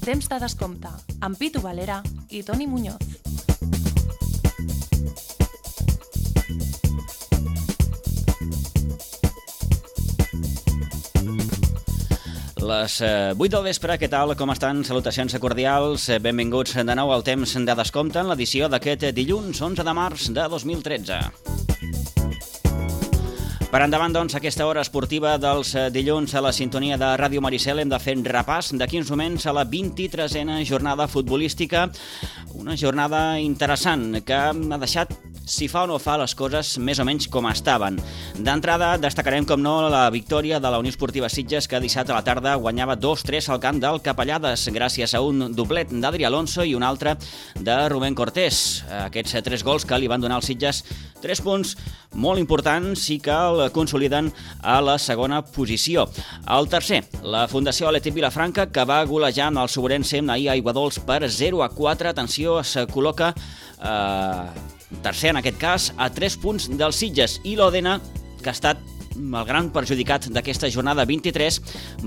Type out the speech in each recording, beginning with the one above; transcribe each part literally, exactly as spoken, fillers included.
Temps de descompte, amb Pitu Valera i Toni Muñoz. Les vuit del vespre, què tal? Com estan? Salutacions cordials. Benvinguts de nou al Temps de descompte en l'edició d'aquest dilluns onze de març de dos mil tretze. Per endavant, doncs, aquesta hora esportiva dels dilluns a la sintonia de Ràdio Maricel hem de fer repàs d'aquí uns moments a la vint-i-tresena jornada futbolística. Una jornada interessant que ha deixat, si fa o no fa, les coses més o menys com estaven. D'entrada, destacarem, com no, la victòria de la Unió Esportiva Sitges, que dissabte a la tarda guanyava dos tres al camp del Capellades, gràcies a un doblet d'Adri Alonso i un altre de Rubén Cortés. Aquests tres gols que li van donar als Sitges tres punts molt importants i que el consoliden a la segona posició. El tercer, la Fundació Atlètic Vilafranca, que va golejar amb el Soberense ahir a Aiguadols per zero a quatre. Atenció, es col·loca eh, tercer, en aquest cas, a tres punts dels Sitges, i l'Òdena, que ha estat el gran perjudicat d'aquesta jornada vint-i-tres,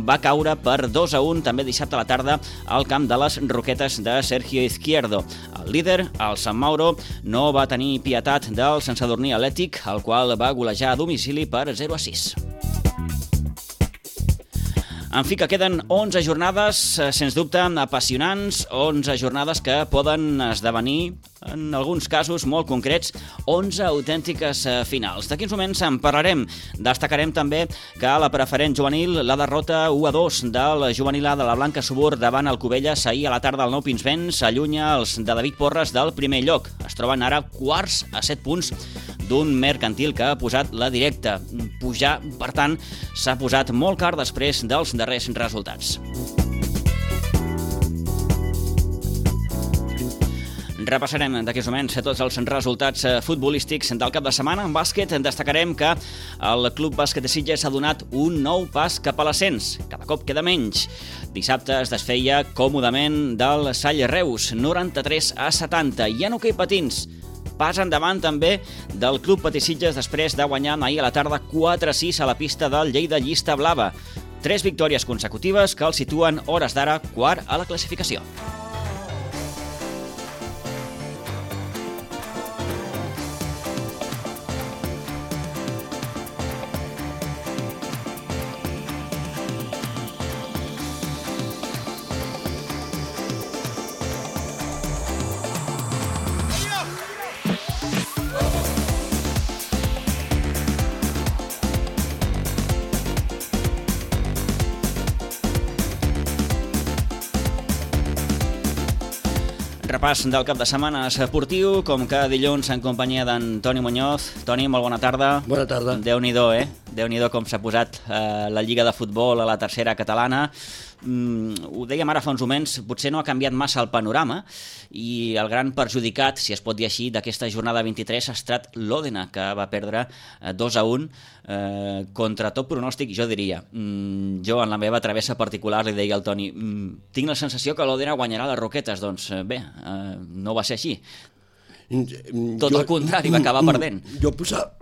va caure per dos a un també dissabte a la tarda al camp de les Roquetes de Sergio Izquierdo. El líder, el Sant Mauro, no va tenir pietat del Sant Sadurní Atlètic, el qual va golejar a domicili per zero a sis. En fi, que queden onze jornades, sens dubte, apassionants, onze jornades que poden esdevenir, en alguns casos molt concrets, onze autèntiques finals. D'aquí uns moments en parlarem. Destacarem també que a la preferent juvenil, la derrota u a dos del juvenil A de la Blanca Subur davant el Cubelles ahir a la tarda al Nou Pinsbens allunya els de David Porres del primer lloc. Es troben ara quarts a set punts d'un Mercantil que ha posat la directa. Pujar, per tant, s'ha posat molt car després dels darrers resultats. Repassarem d'aquí uns moments tots els resultats futbolístics del cap de setmana. En bàsquet destacarem que el Club Bàsquet de Sitges ha donat un nou pas cap a l'ascens. Cada cop queda menys. Dissabte es desfeia còmodament del Sall Reus, noranta-tres a setanta. I en hoquei patins, pas endavant també del Club Patí Sitges després de guanyar ahir a la tarda quatre a sis a la pista del Lleida Llista Blava. Tres victòries consecutives que el situen, hores d'ara, quart a la classificació. Repàs del cap de setmana esportiu, com cada dilluns en companyia d'en Toni Muñoz. Toni, molt bona tarda. Bona tarda. Déu-n'hi-do, eh? Déu-n'hi-do com s'ha posat eh, la Lliga de Futbol a la tercera catalana. Mm, ho dèiem ara fa uns moments, potser no ha canviat massa el panorama i el gran perjudicat, si es pot dir així, d'aquesta jornada vint-i-tres ha estat l'Òdena, que va perdre eh, dos a un eh, contra tot pronòstic, jo diria. Mm, jo, en la meva travessa particular, li deia al Toni, mm, tinc la sensació que l'Òdena guanyarà les Roquetes. Doncs eh, bé, eh, no va ser així. Tot jo, el contrari, va acabar perdent. Jo posava,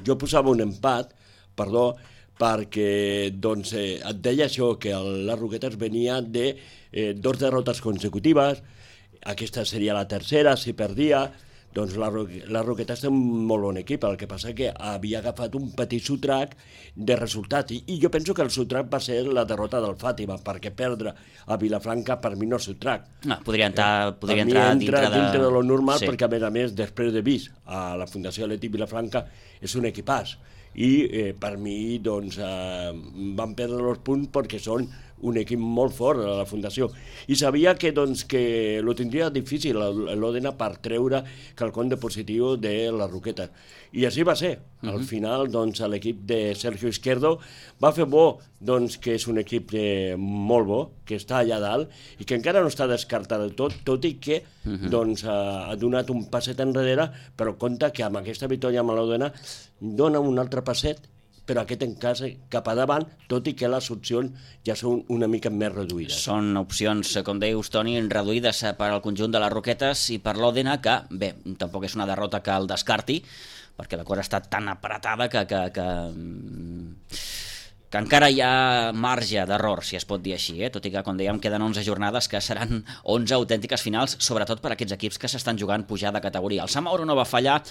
jo posava un empat, perdó, perquè doncs, eh, et deia això, que el, les Roquetes venia de eh, dos derrotes consecutives, aquesta seria la tercera, si perdia, doncs la, la Roquetes té un molt bon equip, el que passa que havia agafat un petit sotrac de resultat, i, i jo penso que el sotrac va ser la derrota del Fàtima, perquè perdre a Vilafranca per mi no és sotrac. No, podria entrar, eh, podria entrar dintre, dintre de... dintre de lo normal, sí. Perquè a més a més, després de vist a la Fundació Atlètic Vilafranca, és un equipàs. I eh, per mi doncs, eh, van perdre els punts perquè són un equip molt fort a la Fundació. I sabia que, doncs, que lo tindria difícil l'Òdena per treure quelcom de positiu de les Roquetes. I així va ser. Al uh-huh. final, doncs, l'equip de Sergio Izquierdo va fer bo, doncs, que és un equip eh, molt bo, que està allà dalt i que encara no està descartat del tot, tot i que uh-huh. doncs, ha, ha donat un passet enrere, però compte que amb aquesta victòria amb l'Òdena dona un altre passet, però aquest en cas cap a davant, tot i que les opcions ja són una mica més reduïdes. Són opcions, com deius, Toni, reduïdes per al conjunt de les Roquetes i per l'Òdena, que, bé, tampoc és una derrota que el descarti, perquè la cosa està tan apretada que, que, que, que encara hi ha marge d'error, si es pot dir així, eh? Tot i que, com dèiem, queden onze jornades que seran onze autèntiques finals, sobretot per a aquests equips que s'estan jugant pujar de categoria. El Sant Mauro no va fallar,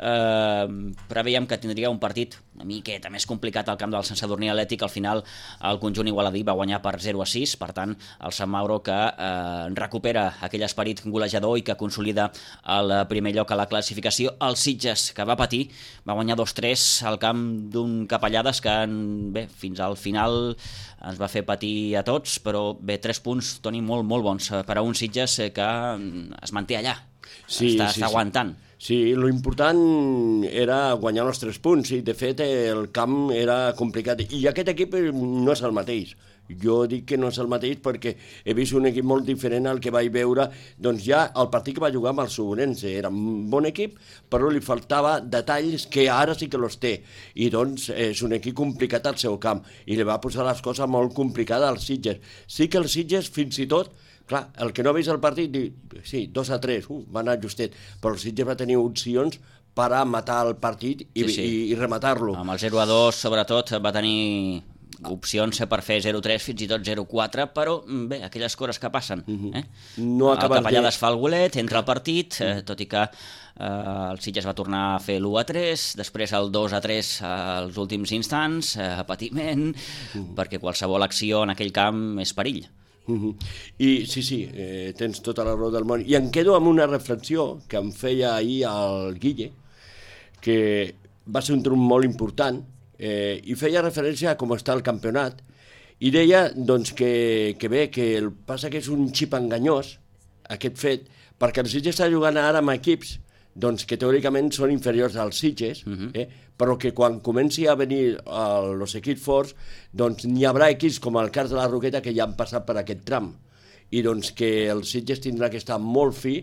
eh, preveiem que tindria un partit una miqueta més complicat al camp del Sant Sadurní Atlètic. Al final el conjunt igualadí va guanyar per zero a sis, per tant el Sant Mauro que eh, recupera aquell esperit golejador i que consolida el primer lloc a la classificació. El Sitges, que va patir, va guanyar dos tres al camp d'un Capellades que, bé, fins al final ens va fer patir a tots, però bé, tres punts, Toni, molt, molt bons per a un Sitges que es manté allà, sí, està, sí, està aguantant. Sí, lo important era guanyar els tres punts i de fet el camp era complicat i aquest equip no és el mateix. Jo dic que no és el mateix perquè he vist un equip molt diferent al que vaig veure doncs ja el partit que va jugar amb el Sobrense. Era un bon equip, però li faltava detalls que ara sí que els té. I doncs és un equip complicat al seu camp i li va posar les coses molt complicades als Sitges. Sí que els Sitges fins i tot, clar, el que no ha vist el partit, diu, sí, dos a tres, uh, va anar justet, però el Sitges va tenir opcions per a matar el partit i, sí, sí. i, i rematar-lo. Amb el zero a dos, sobretot, va tenir opcions per fer zero tres, fins i tot zero quatre, però bé, aquelles coses que passen. Eh? No el Capellades de... fa el golet, entra al partit, eh, tot i que eh, el Sitges va tornar a fer l'u a tres, després el dos a tres als últims instants, eh, patiment, uh-huh. perquè qualsevol acció en aquell camp és perill. Uh-huh. I sí, sí, eh, tens tota la raó del món. I em quedo amb una reflexió que em feia ahir el Guille, que va ser un trum molt important, eh, i feia referència a com està el campionat, i deia doncs, que, que bé, que el passa que és un xip enganyós, aquest fet, perquè el Sitges està jugant ara amb equips doncs, que teòricament són inferiors als Sitges, uh-huh. eh, però que quan comenci a venir els equips forts, doncs n'hi haurà equips com el cas de la Roqueta que ja han passat per aquest tram, i doncs que el Sitges tindrà que estar molt fi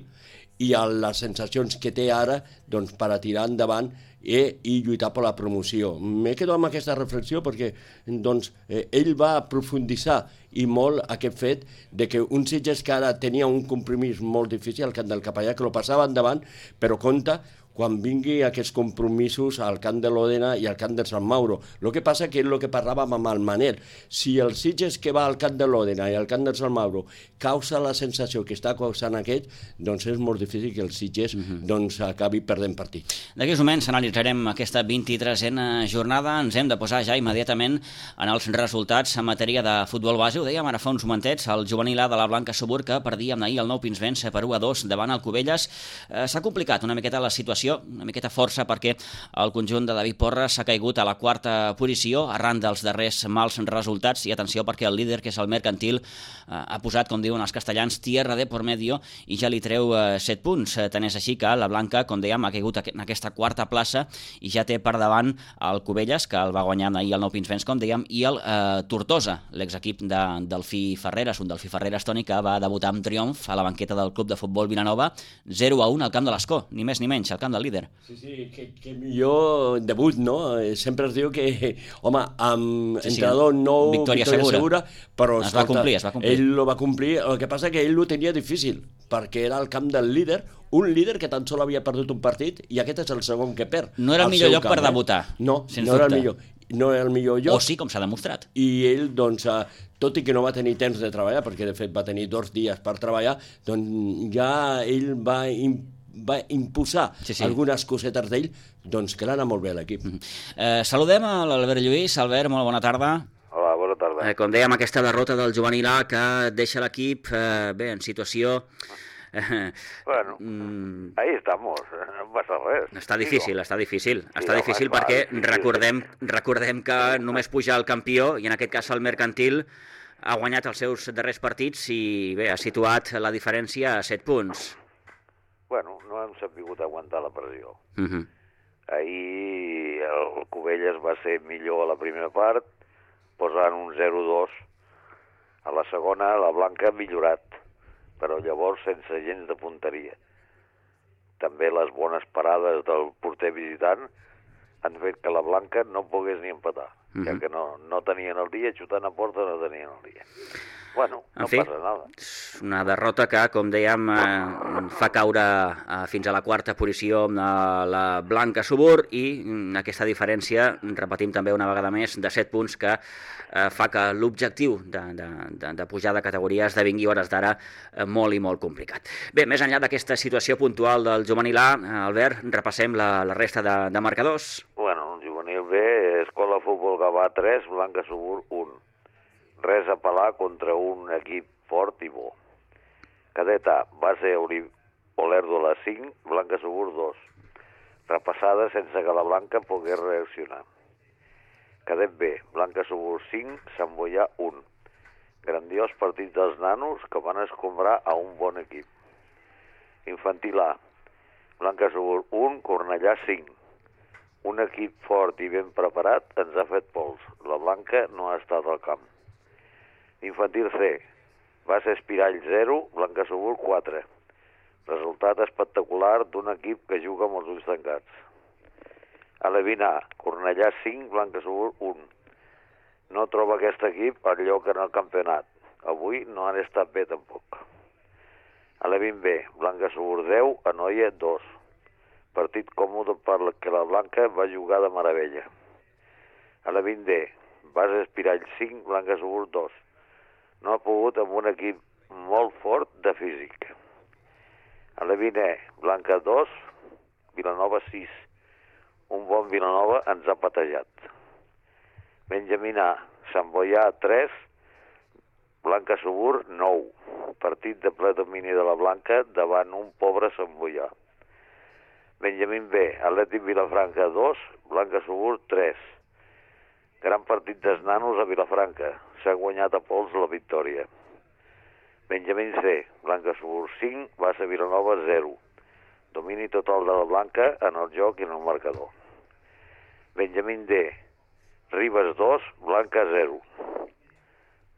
i les sensacions que té ara doncs, per a tirar endavant eh, i lluitar per la promoció. M'he quedat amb aquesta reflexió perquè doncs, eh, ell va aprofunditzar i molt aquest fet de que un Sitges que ara tenia un compromís molt difícil al camp del Capellà, que lo passava endavant, però compte quan vingui aquests compromisos al camp de l'Òdena i al camp del Sant Mauro. El que passa que és el que parlàvem amb el Manel. Si el Sitges que va al camp de l'Òdena i al camp del Sant Mauro causa la sensació que està causant aquest, doncs és molt difícil que el Sitges uh-huh. doncs, acabi perdent partit. D'aquí uns moments analitzarem aquesta vint-i-tresena jornada. Ens hem de posar ja immediatament en els resultats en matèria de futbol base. Ho dèiem ara fa uns momentets, el juvenil A de la Blanca Subur, que perdia ahir el Nou Pinsbens per u a dos davant el Cubelles. Eh, s'ha complicat una miqueta la situació, una miqueta força, perquè el conjunt de David Porres s'ha caigut a la quarta posició arran dels darrers mals resultats, i atenció perquè el líder, que és el Mercantil, eh, ha posat, com diuen els castellans, tierra de por medio i ja li treu eh, set punts. Eh, tant és així que la Blanca, com dèiem, ha caigut en aquesta quarta plaça i ja té per davant el Cubelles, que el va guanyar ahir el Nou Pinsbens, com dèiem, i el eh, Tortosa, l'exequip de Delfí Ferreres, un Delfí Ferreres, Toni, que va debutar amb triomf a la banqueta del Club de Futbol Vilanova, zero a un al camp de l'Escó, ni més ni menys, al camp del líder. Sí, sí, que, que millor debut, no? Sempre es diu que, home, amb sí, entrenador sí, nou, victòria, victòria segura, segura, però es escolta, va complir, es va complir. Ell lo va complir, el que passa que ell ho tenia difícil, perquè era el camp del líder, un líder que tan sol havia perdut un partit, i aquest és el segon que perd. No era el millor lloc camp, per debutar, eh? No, sens no dubte. era el millor. No era el millor lloc. O sí, com s'ha demostrat. I ell, doncs, tot i que no va tenir temps de treballar, perquè de fet va tenir dos dies per treballar, doncs ja ell va va imposar sí, sí. algunes cosetes d'ell, doncs que l'ha molt bé l'equip. Mm-hmm. eh, saludem a l'Albert Lluís. Albert, molt bona tarda. Hola, bona tarda. Eh, com dèiem, aquesta derrota del juvenil A que deixa l'equip eh, bé, en situació... Eh, bueno, mm, ahí estamos, no passa res. Està difícil, digo. està difícil. Sí, està difícil home, perquè va, recordem, recordem que només puja el campió, i en aquest cas el Mercantil ha guanyat els seus darrers partits i bé, ha situat la diferència a set punts. Bueno, no hem sabut aguantar la pressió. Uh-huh. Ahir el Cubelles va ser millor a la primera part, posant un zero dos. A la segona, la Blanca ha millorat, però llavors sense gens de punteria. També les bones parades del porter visitant han fet que la Blanca no pogués ni empatar, uh-huh. ja que no, no tenien el dia, xutant a porta no tenien el dia. Bueno, no en fi, passa nada. una derrota que, com dèiem, eh, fa caure eh, fins a la quarta posició a la Blanca Subur i aquesta diferència, repetim també una vegada més, de set punts que eh, fa que l'objectiu de, de, de, de pujar de categoria esdevingui a hores d'ara eh, molt i molt complicat. Bé, més enllà d'aquesta situació puntual del juvenil A, eh, Albert, repassem la, la resta de, de marcadors. Bueno, el juvenil B, Escola Futbol Gavà tres, Blanca Subur un. Res a pelar contra un equip fort i bo. Cadet A, base Olèrdola cinc, Blanca Subur dos. Repassada sense que la Blanca pogués reaccionar. Cadet B, Blanca Subur cinc, Sant Boià un. Grandiós partit dels nanos que van escombrar a un bon equip. Infantil A, Blanca Subur un, Cornellà cinc. Un equip fort i ben preparat ens ha fet pols. La Blanca no ha estat al camp. Infantil C, base Espirall zero, Blanca Subur quatre. Resultat espectacular d'un equip que juga amb els ulls tancats. Alevín A, Cornellà cinc, Blanca Subur un. No troba aquest equip el lloc en el campionat. Avui no han estat bé tampoc. Alevín B, Blanca Subur deu, Anoia dos. Partit còmode perquè la Blanca va jugar de meravella. Alevín D, base Espirall cinc, Blanca Subur dos. No ha pogut amb un equip molt fort de físic. Alevín E, Blanca dos, Vilanova sis. Un bon Vilanova ens ha patejat. Benjamín A, Sant Boià tres, Blanca Subur nou. Partit de ple domini de la Blanca davant un pobre Sant Boià. Benjamín B, Atlètic Vilafranca dos, Blanca Subur tres. Gran partit dels nanos a Vilafranca. S'ha guanyat a pols la victòria. Benjamín C, Blanca Subur cinc, base Vilanova zero. Domini total de la Blanca en el joc i en el marcador. Benjamín D, Ribes dos, Blanca zero.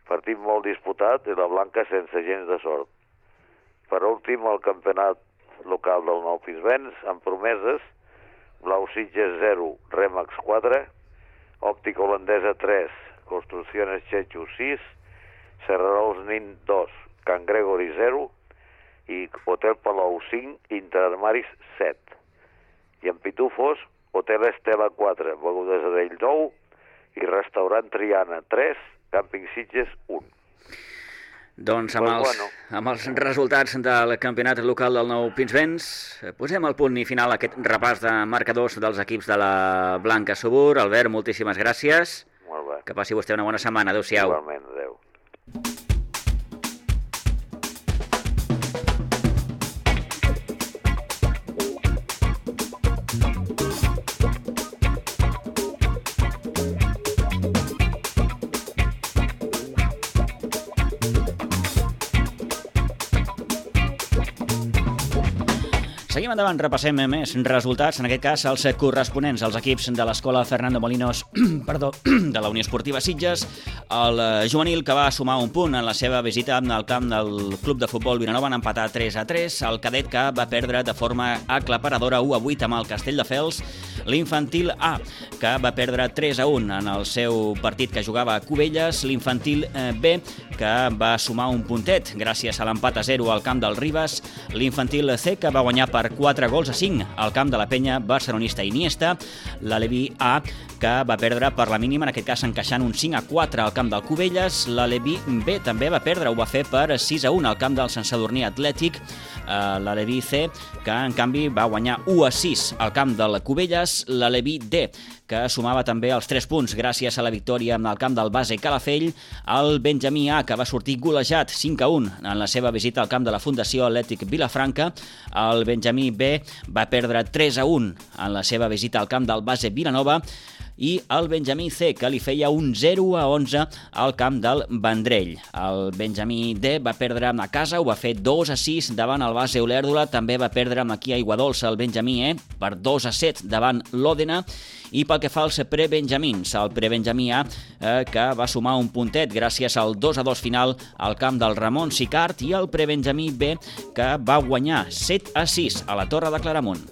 Partit molt disputat i la Blanca sense gens de sort. Per últim, el campionat local del Nou Pinsbens, amb promeses, Blau Sitges zero, Remax quatre, Òptica Holandesa tres, Construcciones Chechu sis, Serrarols Nin dos, Can Gregori zero i Hotel Palau cinc, Interarmaris set. I en Pitufos, Hotel Estela quatre, Begudes Adell nou i Restaurant Triana tres, Càmping Sitges un. Doncs amb, Pues els, bueno. amb els resultats del campionat local del Nou Pinsbens posem el punt i final a aquest repàs de marcadors dels equips de la Blanca Subur. Albert, moltíssimes gràcies. Molt bé. Que passi vostè una bona setmana. Adéu-siau. Igualment, adéu. Seguim endavant, repassem més resultats, en aquest cas els corresponents als equips de l'escola Fernando Molinos perdó, de la Unió Esportiva Sitges, el juvenil que va sumar un punt en la seva visita al camp del Club de Futbol Vilanova en empatar tres a tres, el cadet que va perdre de forma aclaparadora u a vuit amb el Castelldefels, l'infantil A, que va perdre tres a un en el seu partit que jugava a Cubelles, l'infantil B, que va sumar un puntet gràcies a l'empat a zero al camp del Ribes, l'infantil C, que va guanyar per quatre gols a cinc al camp de la penya barcelonista Iniesta, l'Aleví A, que va perdre per la mínima, en aquest cas encaixant un cinc a quatre al camp del Cubelles, l'Aleví B també va perdre, ho va fer per sis a un al camp del Sant Sadurní Atlètic, l'Aleví C, que en canvi va guanyar u a sis al camp del Cubelles, l'Aleví D, que sumava també els tres punts gràcies a la victòria en el camp del Base Calafell, el Benjamí A, que va sortir golejat cinc a un en la seva visita al camp de la Fundació Atlètic Vilafranca, el Benjamí B va perdre tres a un en la seva visita al camp del Base Vilanova, i el Benjamí C, que li feia un zero a onze al camp del Vendrell. El Benjamí D va perdre a casa, ho va fer dos a sis davant el Base Olèrdola, també va perdre aquí a Aiguadolça el Benjamí E per dos a set davant l'Òdena, i pel que fa als prebenjamins, el prebenjamí A, eh, que va sumar un puntet gràcies al dos a dos final al camp del Ramon Sicart, i el prebenjamí B, que va guanyar set a sis a la Torre de Claramunt.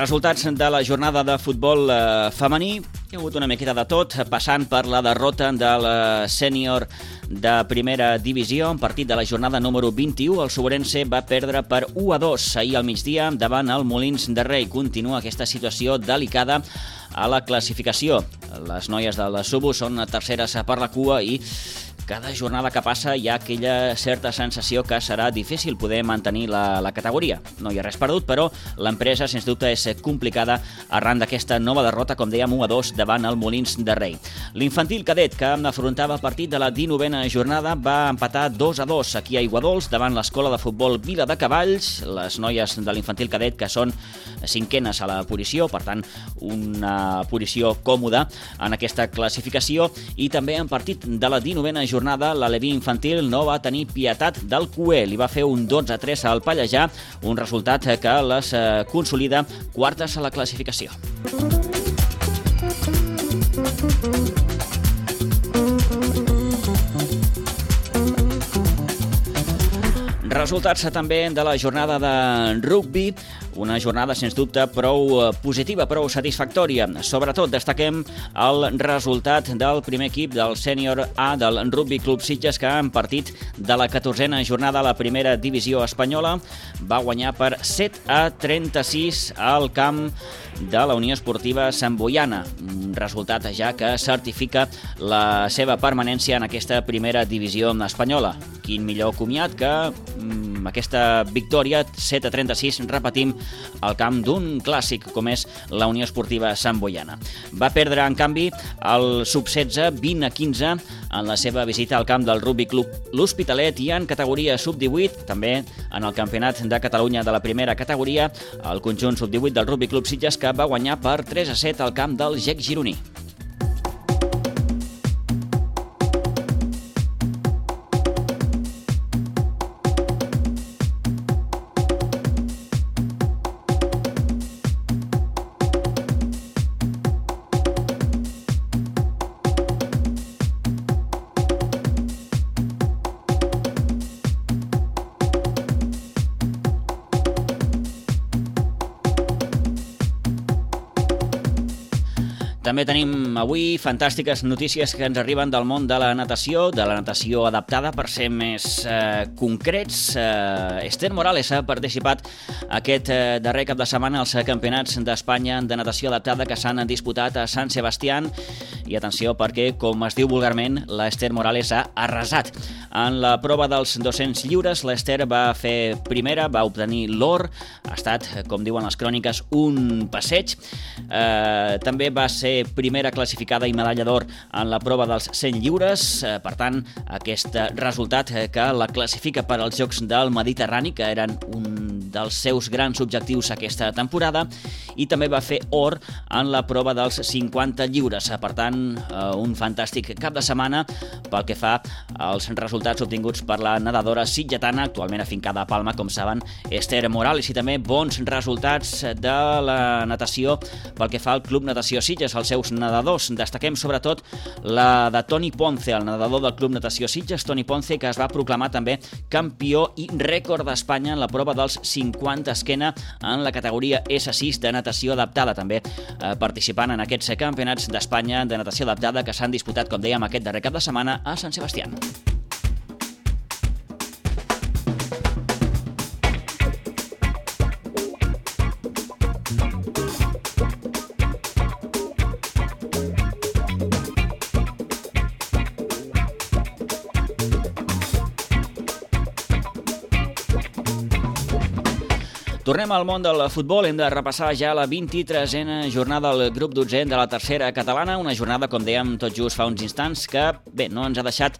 Resultats de la jornada de futbol eh, femení. Hi ha hagut una miqueta de tot, passant per la derrota del sènior de primera divisió. En partit de la jornada número vint-i-u, el Soberense va perdre per u a dos ahir al migdia davant el Molins de Rei. Continua aquesta situació delicada a la classificació. Les noies del Subo són terceres per la cua i cada jornada que passa hi ha aquella certa sensació que serà difícil poder mantenir la, la categoria. No hi ha res perdut, però l'empresa, sens dubte, és complicada arran d'aquesta nova derrota, com dèiem, u a dos davant el Molins de Rei. L'infantil cadet, que afrontava el partit de la dinovena jornada, va empatar dos a dos aquí a Aiguadols davant l'escola de futbol Vila de Cavalls. Les noies de l'infantil cadet, que són cinquenes a la posició, per tant, una posició còmoda en aquesta classificació. I també en partit de la dinovena jornada, l'Aleví infantil no va tenir pietat del Cué. Li va fer un dotze a tres al Pallejà, un resultat que les consolida quartes a la classificació. Resultats també de la jornada de rugbi, una jornada, sens dubte, prou positiva, prou satisfactòria. Sobretot destaquem el resultat del primer equip del sènior A del Rugby Club Sitges, que en partit de la catorzena jornada a la primera divisió espanyola va guanyar per set a trenta-sis al camp de la Unió Esportiva Sant Boiana. Un resultat ja que certifica la seva permanència en aquesta primera divisió espanyola. Quin millor comiat que mm, aquesta victòria, set a trenta-sis, repetim, al camp d'un clàssic com és la Unió Esportiva Sant Boiana. Va perdre, en canvi, el sub setze vint a quinze en la seva visita al camp del Rugby Club L'Hospitalet, i en categoria sub divuit, també en el Campionat de Catalunya de la primera categoria, el conjunt sub divuit del Rugby Club Sitges, que va guanyar per tres a set al camp del G E C gironí. També tenim avui fantàstiques notícies que ens arriben del món de la natació, de la natació adaptada, per ser més eh, concrets. Eh, Esther Morales ha participat aquest eh, darrer cap de setmana als Campionats d'Espanya de natació adaptada que s'han disputat a Sant Sebastián. I atenció, perquè, com es diu vulgarment, l'Esther Morales ha arrasat. En la prova dels dos-cents lliures, l'Esther va fer primera, va obtenir l'or. Ha estat, com diuen les cròniques, un passeig. Eh, també va ser primera classificada i medalla d'or en la prova dels cent lliures. Eh, per tant, aquest resultat que la classifica per als Jocs del Mediterrani, que eren un dels seus grans objectius aquesta temporada, i també va fer or en la prova dels cinquanta lliures. Per tant, un fantàstic cap de setmana pel que fa als resultats obtinguts per la nedadora sitgetana, actualment afincada a Palma, com saben, Esther Morales, i també bons resultats de la natació pel que fa al Club Natació Sitges, els seus nedadors. Destaquem sobretot la de Toni Ponce, el nedador del Club Natació Sitges, Toni Ponce, que es va proclamar també campió i rècord d'Espanya en la prova dels cinquanta esquena en la categoria esse sis de natació adaptada, també eh, participant en aquests campionats d'Espanya de natació adaptada que s'han disputat, com dèiem, aquest darrer cap de setmana a Sant Sebastián. Tornem al món del futbol. Hem de repassar ja la vint-i-tresena jornada del grup dotzè de la tercera catalana, una jornada, com dèiem tot just fa uns instants, que bé, no ens ha deixat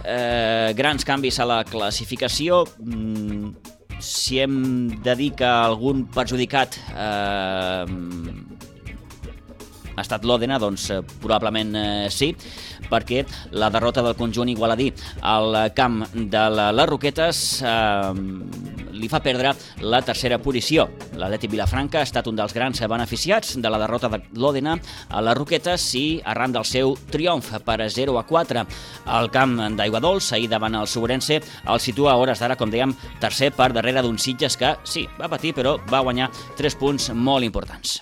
eh, grans canvis a la classificació. Mm, si hem de dir que algun perjudicat eh, ha estat l'Òdena, doncs eh, probablement eh, sí, perquè la derrota del conjunt igualadí al camp de la, les Roquetes eh, li fa perdre la tercera posició. L'Atlètic Vilafranca ha estat un dels grans beneficiats de la derrota de l'Òdena a les Roquetes i arran del seu triomf per zero a quatre al camp d'Aiguadols, ahir davant el Sobrense, el situa a hores d'ara, com dèiem, tercer per darrere d'un Sitges que, sí, va patir, però va guanyar tres punts molt importants.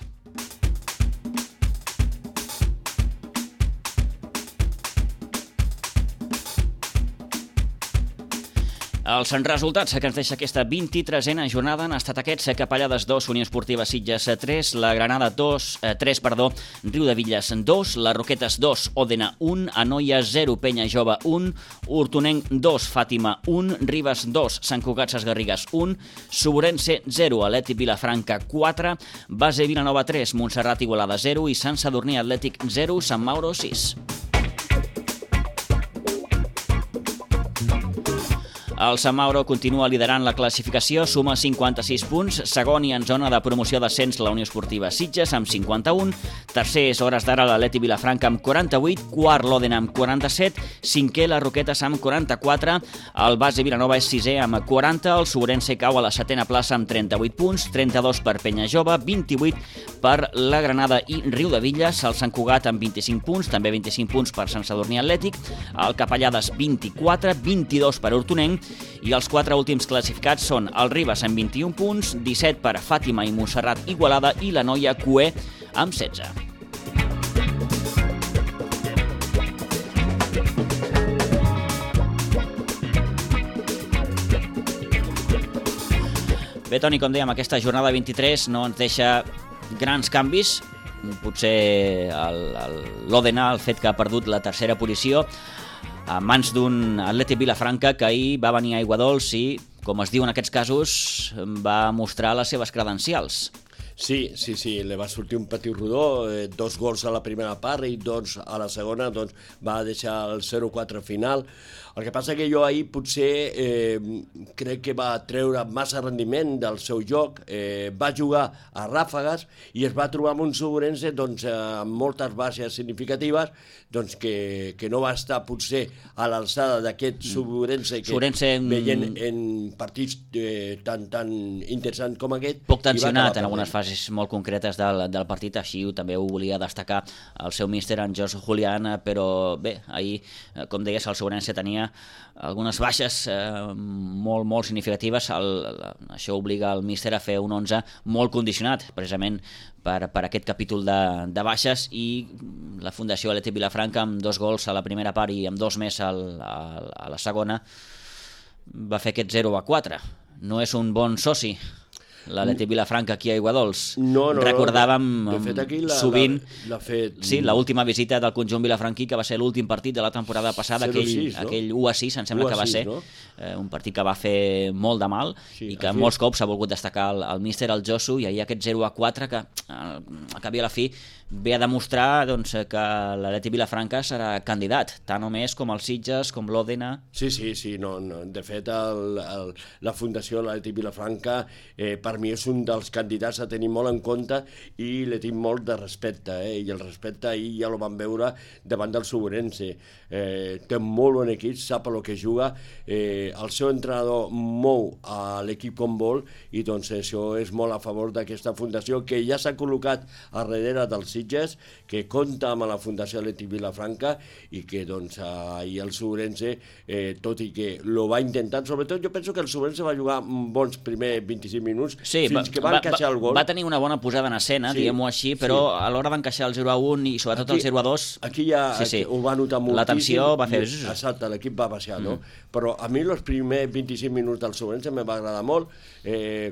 Els resultats que ens deixa aquesta vint-i-tresena jornada han estat aquests: Capellades dos, Unió Esportiva Sitges tres, la Granada dos, eh, tres, perdó, Riudevilles dos, les Roquetes dos, Òdena un, Anoia zero, Penya Jove un, Hortonenc dos, Fàtima un, Ribes dos, Sant Cugat Sesgarrigues un, Sobrense zero, Atlètic Vilafranca quatre, Base Vilanova tres, Montserrat Igualada zero i Sant Sadurní Atlètic zero, Sant Mauro sis. El Sant Mauro continua liderant la classificació, suma cinquanta-sis punts, segon i en zona de promoció d'ascens la Unió Esportiva Sitges amb cinquanta-un, tercer és hores d'ara l'Atlètic Vilafranca amb quaranta-vuit, quart l'Òdena amb quaranta-set, cinquè les Roquetes amb quaranta-quatre, el Base Vilanova és sisè amb quaranta, el Sobrense cau a la setena plaça amb trenta-vuit punts, trenta-dos per Penya Jove, vint-i-vuit per la Granada i Riudevilles, el Sant Cugat amb vint-i-cinc punts, també vint-i-cinc punts per Sant Sadurní Atlètic, el Capellades vint-i-quatre, vint-i-dos per Hortonenc, i els quatre últims classificats són el Ribes amb vint-i-un punts, disset per Fàtima i Montserrat Igualada i la Noia Cué amb setze. Bé, Toni, com dèiem, aquesta jornada vint-i-tres no ens deixa grans canvis. Potser l'Òdena, el fet que ha perdut la tercera posició, a mans d'un Atlètic Vilafranca que ahir va venir a Aiguadols i, com es diu en aquests casos, va mostrar les seves credencials. Sí, sí, sí, li va sortir un petit rodó, eh, dos gols a la primera part i dos a la segona, doncs va deixar el zero quatre final. El que passa que jo ahir potser eh, crec que va treure massa rendiment del seu joc, eh, va jugar a ràfegues i es va trobar amb un Sobrense doncs, amb moltes baixes significatives, doncs que, que no va estar potser a l'alçada d'aquest Sobrense que Sobrense en... veient en partits eh, tan, tan interessants com aquest. Poc tensionat en algunes fases molt concretes del, del partit, així també ho volia destacar el seu míster, en Jos Julián, però bé, ahir, com deies, el Sobrense tenia algunes baixes eh, molt, molt significatives. El, això obliga el míster a fer un onze molt condicionat, precisament per, per aquest capítol de, de baixes, i la Fundació Atlètic Vilafranca, amb dos gols a la primera part i amb dos més al, a, a la segona, va fer aquest zero a quatre. No és un bon soci l'Atlètic Vilafranca aquí a Aiguadols. No, no, recordàvem no. De fet, aquí la, sovint la, la fet... sí, l'última visita del conjunt vilafranquí, que va ser l'últim partit de la temporada passada, aquell, sis, no? aquell u a sis, em sembla que va ser, no? eh, un partit que va fer molt de mal, sí, i que molts cops ha volgut destacar el, el míster, el Josu, i ahir aquest zero a quatre que al cap i a la fi ve a demostrar doncs, que l'Atlètic Vilafranca serà candidat, tant o més com el Sitges, com l'Òdena. Sí, sí, sí, no, no. De fet el, el, la Fundació l'Atlètic Vilafranca eh, per mi és un dels candidats a tenir molt en compte i li tinc molt de respecte, eh? I el respecte ahir ja el vam veure davant del Sobrense. Eh, té molt bon equip, sap el que juga, eh, el seu entrenador mou a l'equip com vol, i doncs això és molt a favor d'aquesta fundació que ja s'ha col·locat a darrere del Sitges, que compta amb la Fundació Atlètic Vilafranca i que doncs ahir el Sobrense, eh, tot i que lo va intentar, sobretot jo penso que el Sobrense va jugar bons primers vint-i-cinc minuts, sí, fins va, que va, va encaixar el gol. Va tenir una bona posada en escena, sí, diguem-ho així, però sí, a l'hora d'encaixar el zero a un i sobretot aquí, el zero a dos... Aquí ja sí, sí, ho va notar moltíssim. La tensió va fer... Exacte, l'equip va baixar, mm. no? Però a mi els primers vint-i-cinc minuts del Sobrense me va agradar molt. Eh,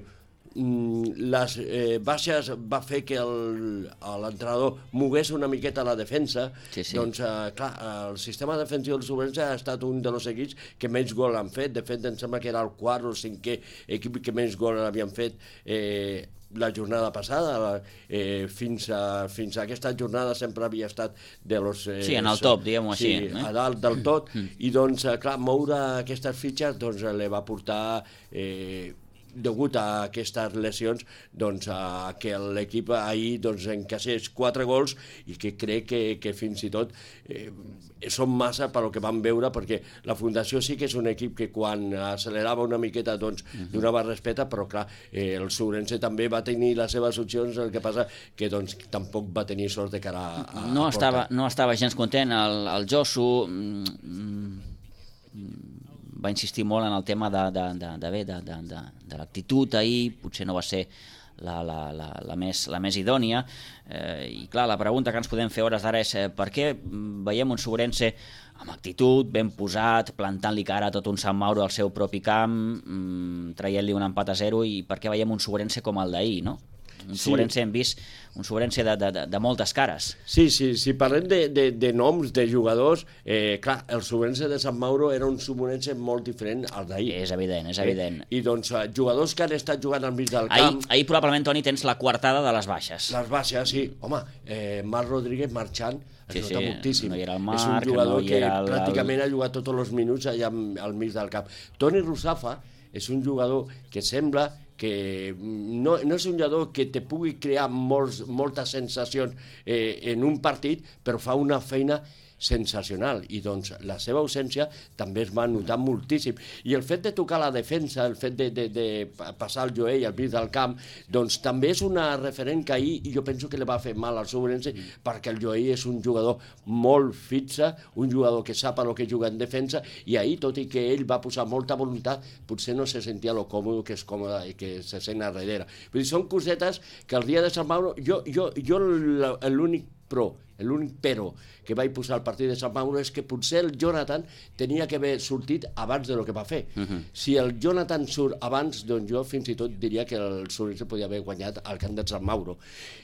les eh, baixes va fer que l'entrenador mogués una miqueta la defensa, sí, sí. Doncs eh, clar, el sistema defensiu del Sobrense ha estat un dels equips que menys gol han fet. De fet, em sembla que era el quart o el cinquè equip que menys gol havien fet eh, la jornada passada, eh, fins, a, fins a aquesta jornada sempre havia estat de los... Eh, sí, en el top, diguem-ho així. Sí, eh? a dalt del tot, i doncs, clar, moure aquestes fitxes doncs, li va portar... Eh, degut a aquestes lesions, doncs, a que l'equip ahir doncs, encaixés quatre gols i que crec que, que fins i tot eh, són massa per el que vam veure, perquè la Fundació sí que és un equip que quan accelerava una miqueta doncs, uh-huh. donava respecte, però clar, eh, el Sourense també va tenir les seves opcions, el que passa que doncs, tampoc va tenir sort de cara a, a no a estava, no estava gens content, el, el Josu mm, va insistir molt en el tema de, de, de, de, de, de, de, de l'actitud ahir, potser no va ser la, la, la, la, més, la més idònia, eh, i clar, la pregunta que ens podem fer hores d'ara és eh, per què veiem un Sourense amb actitud, ben posat, plantant-li cara a tot un Sant Mauro al seu propi camp, mmm, traient-li un empat a zero, i per què veiem un Sourense com el d'ahir, no? Un sí. Sourense hem vist, un Sourense de, de, de moltes cares. Sí, sí, si parlem de, de, de noms, de jugadors, eh, clar, el Sourense de Sant Mauro era un Sourense molt diferent al d'ahir. És evident, és evident. Eh? I doncs jugadors que han estat jugant al mig del ahir, camp... Ahir probablement, Toni, tens la coartada de les baixes. Les baixes, sí. Home, eh, Marc Rodríguez marxant, es sí, nota sí, moltíssim. No hi era el Marc, és un jugador no hi que era el... pràcticament ha jugat tots els minuts allà al mig del camp. Toni Russafa és un jugador que sembla que no, no és un jugador que te pugui crear molts, moltes sensacions eh, en un partit, però fa una feina sensacional, i doncs la seva ausència també es va notar moltíssim, i el fet de tocar la defensa, el fet de, de, de passar el Joey al mig del camp, doncs també és una referent que ahir jo penso que li va fer mal al Sourense, perquè el Joey és un jugador molt fixe, un jugador que sap el que juga en defensa, i ahir, tot i que ell va posar molta voluntat, potser no se sentia lo còmode que és còmode i que se sent a darrere. Vull dir, són cosetes que el dia de Sant Mauro, jo, jo, jo l'únic però, l'únic però que vaig posar al partit de Sant Mauro és que potser el Jonathan tenia que haver sortit abans de lo que va fer. Uh-huh. Si el Jonathan surt abans, doncs jo fins i tot diria que el Sourense podia haver guanyat al camp de Sant Mauro.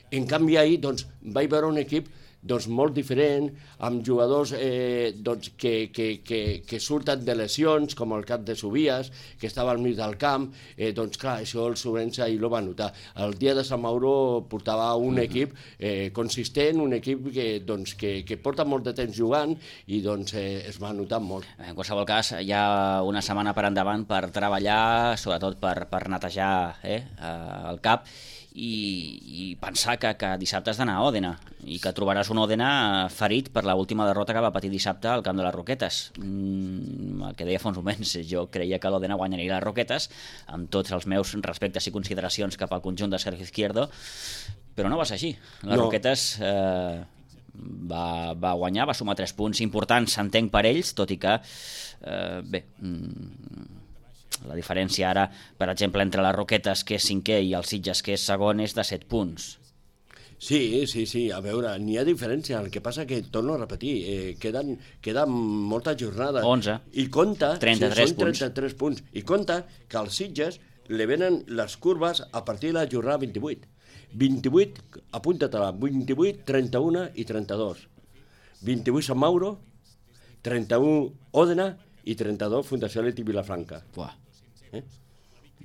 En canvi ahir, doncs, vaig veure un equip doncs, molt diferent, amb jugadors eh, doncs, que, que, que, que surten de lesions, com el cap de Subias, que estava al mig del camp, eh, doncs clar, això el Sourense ahir lo va notar. El dia de Sant Mauro portava un equip eh, consistent, un equip que, doncs, que, que porta molt de temps jugant, i doncs eh, es va notar molt. En qualsevol cas, hi ha una setmana per endavant per treballar, sobretot per, per netejar eh, el cap, i, i pensar que, que dissabte has d'anar a Òdena, i que trobaràs un Òdena ferit per l'última derrota que va patir dissabte al camp de les Roquetes. Mm, el que deia fa uns moments, jo creia que l'Òdena guanyaria les Roquetes, amb tots els meus respectes i consideracions cap al conjunt de Sergio Izquierdo, però no va ser així. Les no. Roquetes eh, va, va guanyar, va sumar tres punts importants, s'entenc per ells, tot i que, eh, bé... Mm, la diferència ara, per exemple, entre les Roquetes, que és cinquè, i els Sitges, que és segon, és de set punts. Sí, sí, sí, a veure, n'hi ha diferència, el que passa que, torno a repetir, eh, queden, queden moltes jornades. onze. I compta, trenta-tres sí, són trenta-tres punts. I compta que als Sitges li venen les curves a partir de la jornada vint-i-vuit. vint-i-vuit, apunta-te-la, vint-i-vuit, trenta-u i trenta-dos. vint-i-vuit Sant Mauro, trenta-u Òdena i trenta-dos Fundació Leti Vilafranca. Buah. Eh?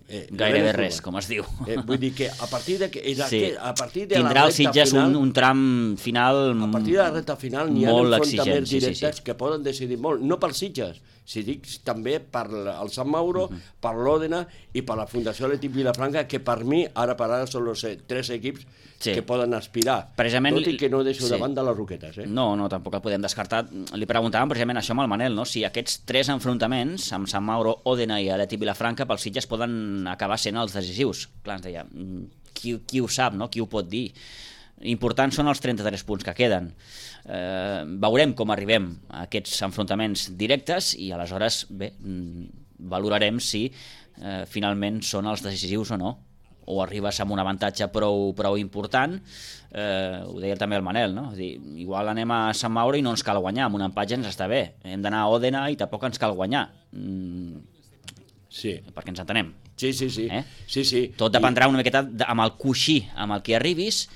Eh, Gairebé res, com es diu. Eh, vull dir que a partir de... Que, sí. a partir de tindrà la el Sitges final, un, un tram final a partir de la recta final n'hi ha enfrontaments directes sí, sí, sí. que poden decidir molt, no pels Sitges, si dic també per el Sant Mauro, uh-huh. per l'Òdena i per la Fundació Leti Vilafranca, que per mi ara per ara són els tres equips sí. que poden aspirar, precisament, tot i que no deixo sí. davant de les Roquetes. Eh? No, no, tampoc el podem descartar. Li preguntàvem precisament això amb el Manel, no? Si aquests tres enfrontaments, amb Sant Mauro, Òdena i Leti Vilafranca, pels Sitges poden acabar sent els decisius. Clar, ens deia, qui, qui ho sap, no? Qui ho pot dir? Importants són els trenta-tres punts que queden. Eh, veurem com arribem a aquests enfrontaments directes i aleshores, bé, valorarem si eh, finalment són els decisius o no, o arribes amb un avantatge prou, prou important, eh, ho deia també el Manel, no? Dir, igual anem a Sant Mauro i no ens cal guanyar, amb un empat ja ens està bé, hem d'anar a Òdena i tampoc ens cal guanyar. Mm, sí. Perquè ens entenem. Sí, sí, sí. Eh? sí, sí. Tot dependrà una miqueta amb el coixí amb el que arribis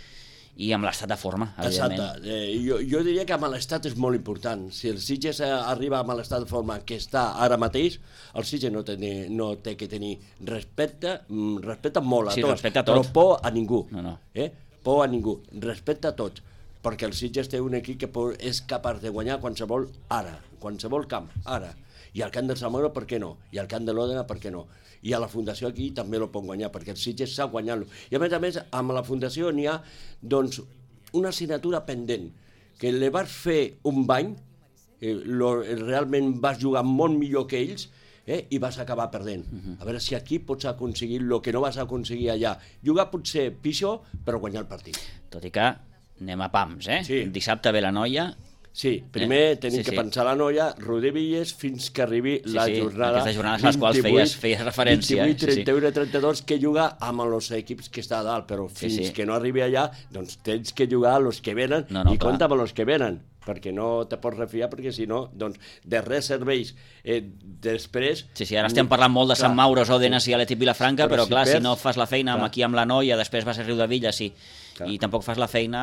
i amb l'estat de forma, evidentment. Exacte. Eh, jo, jo diria que amb l'estat és molt important. Si el Sitges arriba amb l'estat de forma que està ara mateix, el Sitges no, té, no té que tenir respecte, respecte molt a sí, tots, respecte a tot. però por a ningú. No, no. Eh? Por a ningú, respecte a tots. perquè el Sitges té un equip que és capaç de guanyar qualsevol ara, qualsevol camp, ara. I al camp del Sant Mauro, per què no? I al camp de l'Òdena, per què no? I a la Fundació aquí també lo pot guanyar, perquè el Sitges sap guanyar-lo. I a més a més, amb la Fundació n'hi ha doncs, una assignatura pendent, que li vas fer un bany, eh, lo, realment vas jugar molt millor que ells, eh, i vas acabar perdent. Uh-huh. A veure si aquí pots aconseguir el que no vas aconseguir allà. Jugar potser pitjor, però guanyar el partit. Tot i que anem a pams, eh? Sí. Dissabte ve la Noia. Sí, primer eh? tenim sí, que sí. pensar la Noia, Rodríguez, fins que arribi sí, la sí. jornada Aquestes jornades a les quals feies, feies referència. vint-i-vuit, eh? trenta-u sí, i trenta-dos que juga amb els equips que està a dalt, però fins sí, sí. que no arribi allà, doncs tens que jugar amb els que venen no, no, i clar. compta amb els que venen, perquè no te pots refiar, perquè si no, doncs de res serveix eh, després... Sí, sí, ara estem parlant molt de Sant Mauro, Òdenes i Atlètic Vilafranca, però, però si clar, perds, si no fas la feina clar. Aquí amb la Noia, després vas a Riudavilla, sí, clar. I tampoc fas la feina,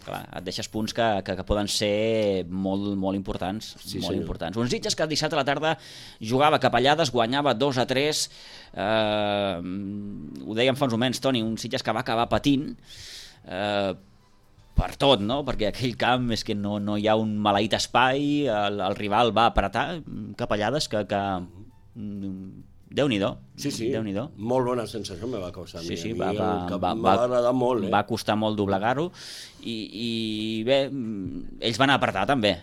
clar, et deixes punts que, que, que poden ser molt, molt importants, sí, molt senyor. importants. Uns Sitges que dissabte a la tarda jugava Capellades, guanyava dos a tres, eh, ho dèiem fa uns moments, Toni, un Sitges que va acabar patint, eh, per tot, no? Perquè aquell camp és que no, no hi ha un maleït espai, el, el rival va apretar, Capellades, que... que Déu-n'hi-do. Sí, sí, Déu-n'hi-do. molt bona sensació me va causar. Sí, sí, va, va, va, va agradar molt. Eh? Va costar molt doblegar-ho i, i bé, ells van apretar també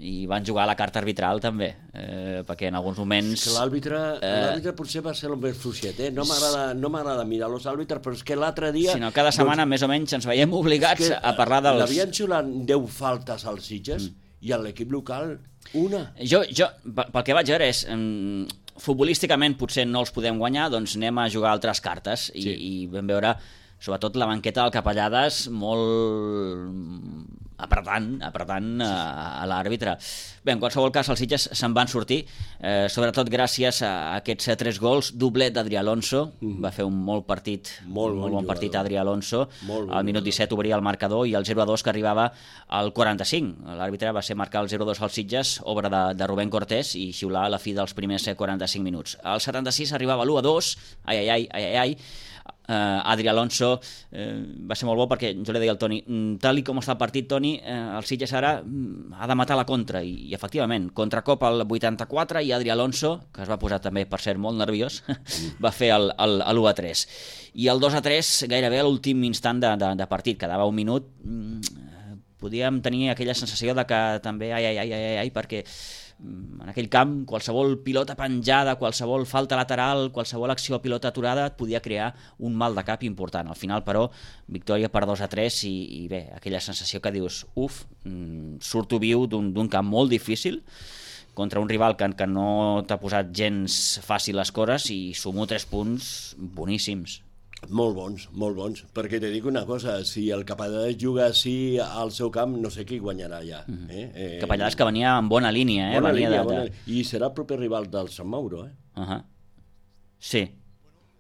i van jugar a la carta arbitral també, eh, perquè en alguns moments... L'àrbitre eh, potser va ser el més fluixet, eh? No m'agrada no m'agrada mirar els àrbitres, però és que l'altre dia... Si no, cada setmana doncs, més o menys ens veiem obligats a parlar dels... L'havien xulat deu faltes als Sitges mm. i a l'equip local una. Jo, jo, pel que vaig veure és... Um, futbolísticament potser no els podem guanyar, doncs anem a jugar altres cartes i, sí. i vam veure sobretot la banqueta del Capellades molt apretant, apretant a, a l'àrbitre. Bé, en qualsevol cas els Sitges se'n van sortir, eh, sobretot gràcies a aquests tres gols, doblet d'Adrià Alonso, mm. va fer un molt partit, molt, molt bon, bon partit Adrià Alonso, molt al minut disset obria el marcador i el zero a dos que arribava al quaranta-cinc. L'àrbitre va ser marcar el zero a dos als Sitges, obra de, de Rubén Cortés i xiular a la fi dels primers quaranta-cinc minuts. Al setanta-sis arribava l'u a dos, ai, ai, ai, ai, ai, Uh, Adrià Alonso uh, va ser molt bo perquè jo li deia al Toni, tal i com està el partit, Toni, uh, el Sitges ara uh, ha de matar la contra i, i efectivament, contracop al vuitanta-quatre i Adrià Alonso, que es va posar també per ser molt nerviós, va fer el, el, l'u a tres i el dos a tres gairebé a l'últim instant de, de, de partit, quedava un minut, uh, podíem tenir aquella sensació de que també ai, ai, ai, ai, ai perquè en aquell camp qualsevol pilota penjada, qualsevol falta lateral, qualsevol acció a pilota aturada et podia crear un mal de cap important. Al final, però, victòria per dos a tres i, i bé, aquella sensació que dius, uf, surto viu d'un, d'un camp molt difícil contra un rival que, que no t'ha posat gens fàcil les coses i sumo tres punts boníssims. Molt bons, molt bons, perquè te dic una cosa, si el Capellades juga així al seu camp, no sé qui guanyarà ja. Mm-hmm. eh? Eh, Capellades que venia en bona línia, eh? Bona venia línia, de, bona... de... I serà el proper rival del Sant Mauro, eh? Uh-huh. Sí.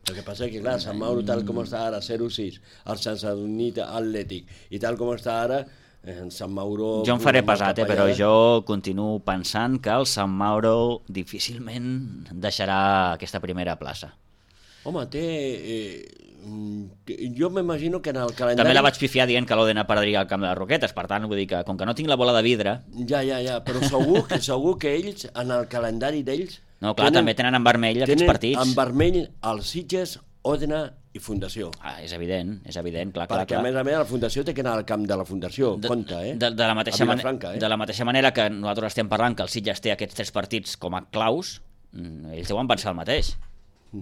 El que passa és que, clar, Sant Mauro, tal com està ara, zero a sis, el Sant Sadurní Atlètic, i tal com està ara, en Sant Mauro... Jo em faré pesat, eh, però jo continuo pensant que el Sant Mauro difícilment deixarà aquesta primera plaça. Home, té... Eh, jo m'imagino que en el calendari... També la vaig pifiar dient que l'Òdena perdria el camp de les Roquetes, per tant, vull dir que com que no tinc la bola de vidre... Ja, ja, ja, però segur que, segur que ells, en el calendari d'ells... No, clar, tenen, també tenen en vermell aquests partits. Tenen en vermell els Sitges, Òdena i Fundació. Ah, és evident, és evident, clar, clar, clar. Perquè, a més a més, la Fundació té que anar al camp de la Fundació, de, compte, eh? De, de, la mateixa a Vilafranca, eh? De la mateixa manera que nosaltres estem parlant que el Sitges té aquests tres partits com a claus, ells deuen pensar el mateix.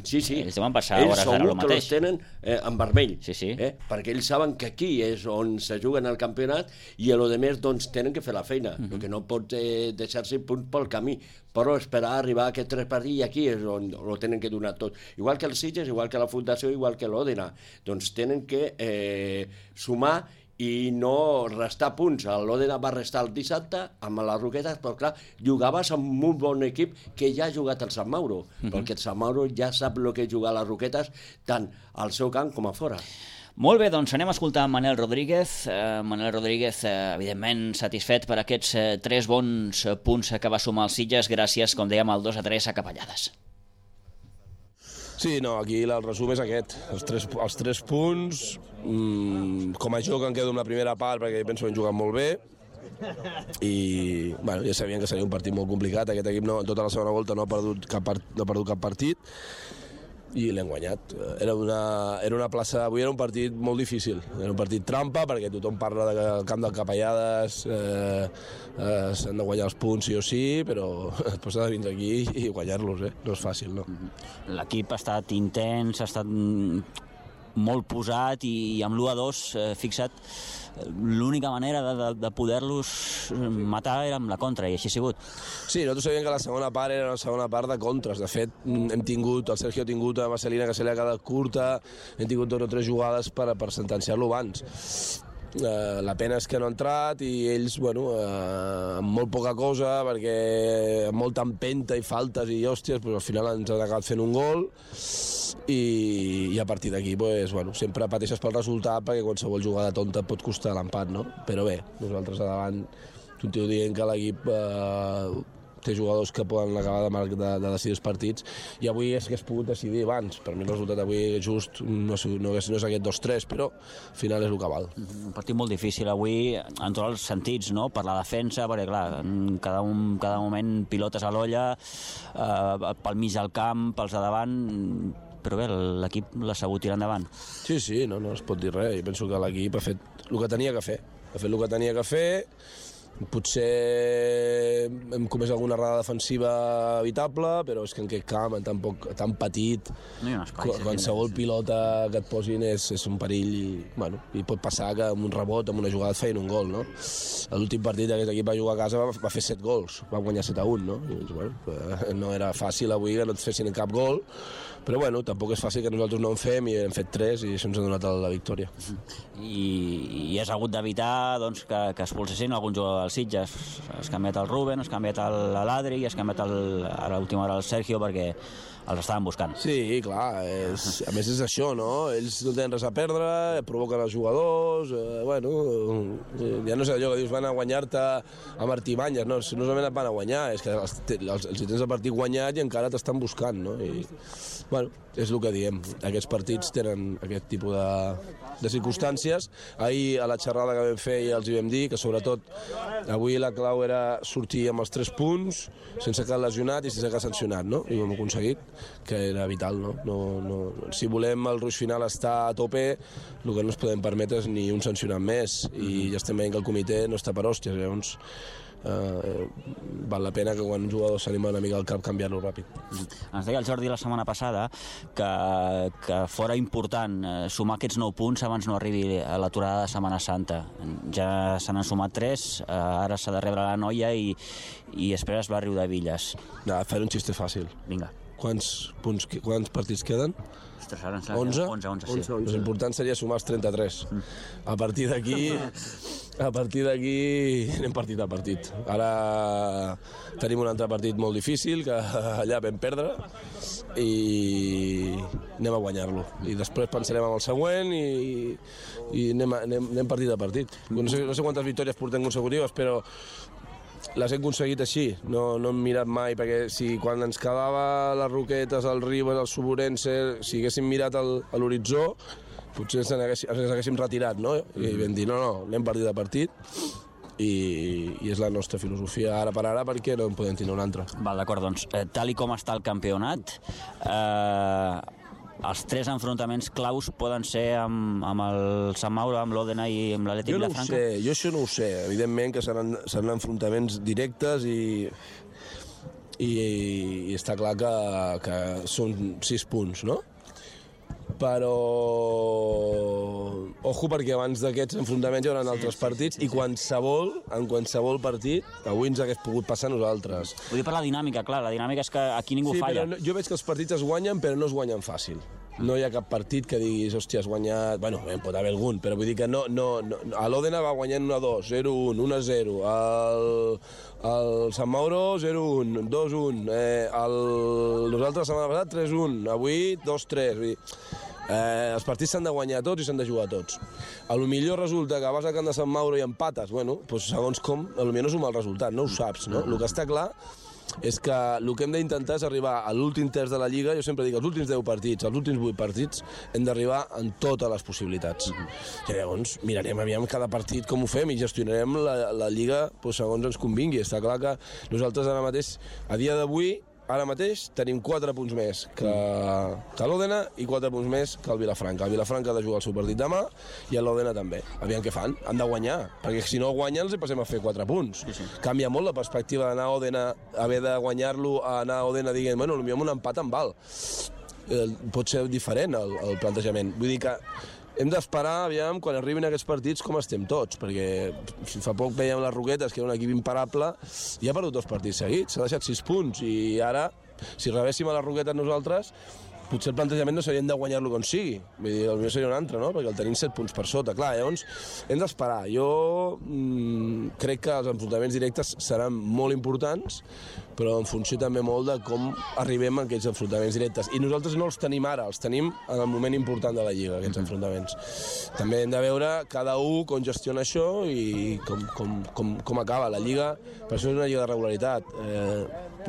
Sí, sí. Ells deuen passar ells hores d'ara el mateix. Ells segur que els tenen eh, en vermell, sí, sí. Eh? Perquè ells saben que aquí és on se juguen el campionat i a lo de més doncs tenen que fer la feina. Uh-huh. El que no pot eh, deixar-se punts pel camí, però esperar a arribar a aquests tres partits i aquí és on ho tenen que donar tot. Igual que els Sitges, igual que la Fundació, igual que l'Òdena. Doncs tenen que eh, sumar i no restar punts. L'Òdena va restar el dissabte amb les Roquetes, però clar, jugaves amb un bon equip que ja ha jugat el Sant Mauro, uh-huh. perquè el Sant Mauro ja sap el que és jugar a les Roquetes tant al seu camp com a fora. Molt bé, doncs anem a escoltar Manel Rodríguez. Uh, Manel Rodríguez, uh, evidentment, satisfet per aquests uh, tres bons punts que va sumar els Sitges gràcies, com dèiem, al dos a tres a Capellades. Sí, no, aquí el resum és aquest. Els tres, els tres punts, mmm, com a joc em quedo amb la primera part perquè penso que hem jugat molt bé i bueno, ja sabien que seria un partit molt complicat. Aquest equip no, tota la segona volta no ha perdut cap, part, no ha perdut cap partit i l'hem guanyat. Era una, era una plaça, avui era un partit molt difícil, era un partit trampa perquè tothom parla del camp del Capellades, eh, eh, s'han de guanyar els punts sí o sí, però després s'ha de vindre aquí i guanyar-los, eh? No és fàcil, no? L'equip ha estat intens, ha estat molt posat i amb l'u a dos eh, fixa't, l'única manera de, de, de poder-los matar era amb la contra, i així ha sigut. Sí, nosaltres sabíem que la segona part era una segona part de contres. De fet, hem tingut, el Sergio ha tingut a Marcelina que se li ha quedat curta, hem tingut dos o tres jugades per, per sentenciar-lo abans. Uh, la pena és que no ha entrat i ells, bueno, uh, amb molt poca cosa, perquè amb molta empenta i faltes i hòsties, pues, al final ens han acabat fent un gol i, i a partir d'aquí pues, bueno, sempre pateixes pel resultat perquè qualsevol jugada tonta et pot costar l'empat, no? Però bé, nosaltres a davant continuo dient que l'equip uh, té jugadors que poden acabar de, de, de decidir els partits i avui és que has pogut decidir abans. Per mi el resultat avui just no, no, no és aquest dos tres, però al final és el que val. Un partit molt difícil avui en tots els sentits, no? Per la defensa, perquè clar, en cada, un, cada moment pilotes a l'olla, eh, pel mig del camp, pels de davant, però bé, l'equip l'ha sabut tirar endavant. Sí, sí, no, no es pot dir res. Jo penso que l'equip ha fet el que tenia que fer. Ha fet el que tenia que fer. Potser hem comès alguna errada defensiva evitable, però és que en aquest camp, tan, poc, tan petit, no hi ha un espai, qualsevol pilota que et posin és, és un perill i, bueno, i pot passar que amb un rebot, amb una jugada et feien un gol, no? L'últim partit d'aquest equip va jugar a casa va, va fer set gols, va guanyar set a un, no? I, bueno, no era fàcil avui que no et fessin cap gol, però bueno, tampoc és fàcil que nosaltres no en fem i hem fet tres i això ens ha donat la victòria. I, i has hagut d'evitar doncs, que, que expulsessin algun jugador del Sitges. Has canviat el Ruben, has canviat l'Adri i has canviat el, a l'última hora el Sergio perquè els estaven buscant. Sí, clar, és, a més és això, no? Ells no tenen res a perdre, provoquen els jugadors, eh, bueno, ja no sé allò que dius, van a guanyar-te a Martí Banyes, no, no solament et van a guanyar, és que els, els, els tens el partit guanyat i encara t'estan buscant, no? I, bueno, és el que diem, aquests partits tenen aquest tipus de, de circumstàncies. Ahir a la xerrada que vam fer ja els hi vam dir que sobretot avui la clau era sortir amb els tres punts, sense cap lesionat i sense cap sancionat, no? I ho hem aconseguit, que era vital, no? No, no, si volem el ruix final estar a tope, el que no ens podem permetre és ni un sancionat més, i ja estem veient que el comitè no està per hòsties, llavors eh, val la pena que quan un jugador s'anima una mica al cap canviar-lo ràpid. Ens deia el Jordi la setmana passada que, que fora important eh, sumar aquests nou punts abans no arribi a l'aturada de Setmana Santa. Ja se n'han sumat tres, eh, ara s'ha de rebre la noia i, i esperes Barri de Villas. No, fer un xiste fàcil. Vinga. Quants, punts, quants partits queden? Ostres, ara ens onze? onze, onze, sí. onze. L'important seria sumar els trenta-tres. Mm. A partir d'aquí a partir d'aquí anem partit a partit. Ara tenim un altre partit molt difícil que allà vam perdre i anem a guanyar-lo. I després pensarem en el següent i, i anem, anem, anem partit a partit. No sé, no sé quantes victòries portem consecutives, però les hem aconseguit així, no, no hem mirat mai, perquè si quan ens quedava les Roquetes, el Ribes, el Suburense, si haguéssim mirat el, a l'horitzó, potser ens haguéssim, ens haguéssim retirat, no? I vam dir, no, no, anem partit a partit, i, i és la nostra filosofia ara per ara, perquè no en podem tenir una altra. Val, d'acord, doncs, eh, tal i com està el campionat, eh, els tres enfrontaments claus poden ser amb, amb el Sant Mauro, amb l'Òdena i amb l'Atlètic jo no Vilafranca? Sé, jo això no ho sé. Evidentment que seran, seran enfrontaments directes i, i, i està clar que, que són sis punts, no? Però ojo, perquè abans d'aquests enfrontaments hi haurà sí, altres partits sí, sí, sí. I qualsevol, en qualsevol partit avui ens hagués pogut passar a nosaltres. Vull dir per la dinàmica, clar, la dinàmica és que aquí ningú sí, falla. Però no, jo veig que els partits es guanyen però no es guanyen fàcil. No hi ha cap partit que diguis, hòstia, has guanyat... Bueno, pot haver algun, però vull dir que no... no, no. A l'Òdena va guanyant un a dos, zero a un, un a zero. El, el Sant Mauro, zero a un, dos a un. Eh, el, nosaltres la setmana passada, tres a un. Avui, dos a tres. Vull dir, eh, els partits s'han de guanyar tots i s'han de jugar tots. A lo millor resulta que vas al camp de Sant Mauro i empates. Bueno, doncs segons com, a lo millor no és un mal resultat, no ho saps, no? El que està clar és que el que hem d'intentar és arribar a l'últim terç de la Lliga, jo sempre dic, els últims deu partits, els últims vuit partits, hem d'arribar en totes les possibilitats. Mm-hmm. I llavors mirarem aviam cada partit com ho fem i gestionarem la, la Lliga doncs, segons ens convingui. Està clar que nosaltres ara mateix, a dia d'avui, ara mateix tenim quatre punts més que, que l'Òdena i quatre punts més que el Vilafranca. El Vilafranca ha de jugar el seu partit demà i l'Òdena també. Aviam què fan, han de guanyar, perquè si no guanyen els hi passem a fer quatre punts. Sí, sí. Canvia molt la perspectiva d'anar a Òdena, haver de guanyar-lo, a anar a Òdena dient, bueno, potser amb un empat em val. Eh, pot ser diferent el, el plantejament. Vull dir que hem d'esperar, aviam, quan arribin aquests partits, com estem tots, perquè si fa poc veiem les Roquetes, que era un equip imparable, i ha perdut dos partits seguits, s'ha deixat sis punts, i ara, si rebéssim a les Roquetes nosaltres, potser el plantejament no serien de guanyar-lo com sigui, vull dir, potser seria un altre, no?, perquè el tenim set punts per sota, clar, llavors hem d'esperar. Jo mmm, crec que els enfrontaments directes seran molt importants, però en funció també molt de com arribem a aquests enfrontaments directes. I nosaltres no els tenim ara, els tenim en el moment important de la Lliga, aquests enfrontaments. També hem de veure cada un com gestiona això i com, com, com, com acaba la Lliga. Per això és una Lliga de regularitat. Eh,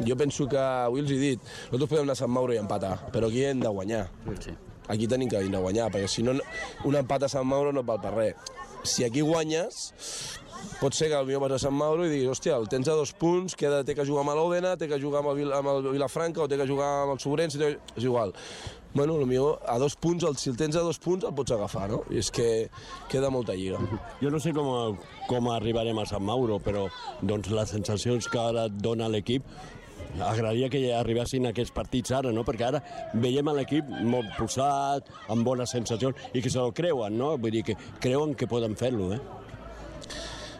jo penso que, avui els he dit, nosaltres podem anar a Sant Mauro i empatar, però aquí hem de guanyar. Sí. Aquí tenim que venir a guanyar, perquè si no, un empat a Sant Mauro no val per res. Si aquí guanyes, pot ser que potser vas a Sant Mauro i diguis, hòstia, el tens a dos punts, queda, té que jugar amb l'Òdena, té que jugar amb el, amb el Vilafranca o té que jugar amb el Sobrense, és igual. Bueno, potser a dos punts, si el tens a dos punts el pots agafar, no? I és que queda molta lliga. Jo no sé com, com arribarem a Sant Mauro, però doncs, les sensacions que ara et dona l'equip, agradaria que arribessin aquests partits ara, no? Perquè ara veiem l'equip molt posat, amb bones sensacions, i que se'l creuen, no? Vull dir que creuen que poden fer-lo, eh?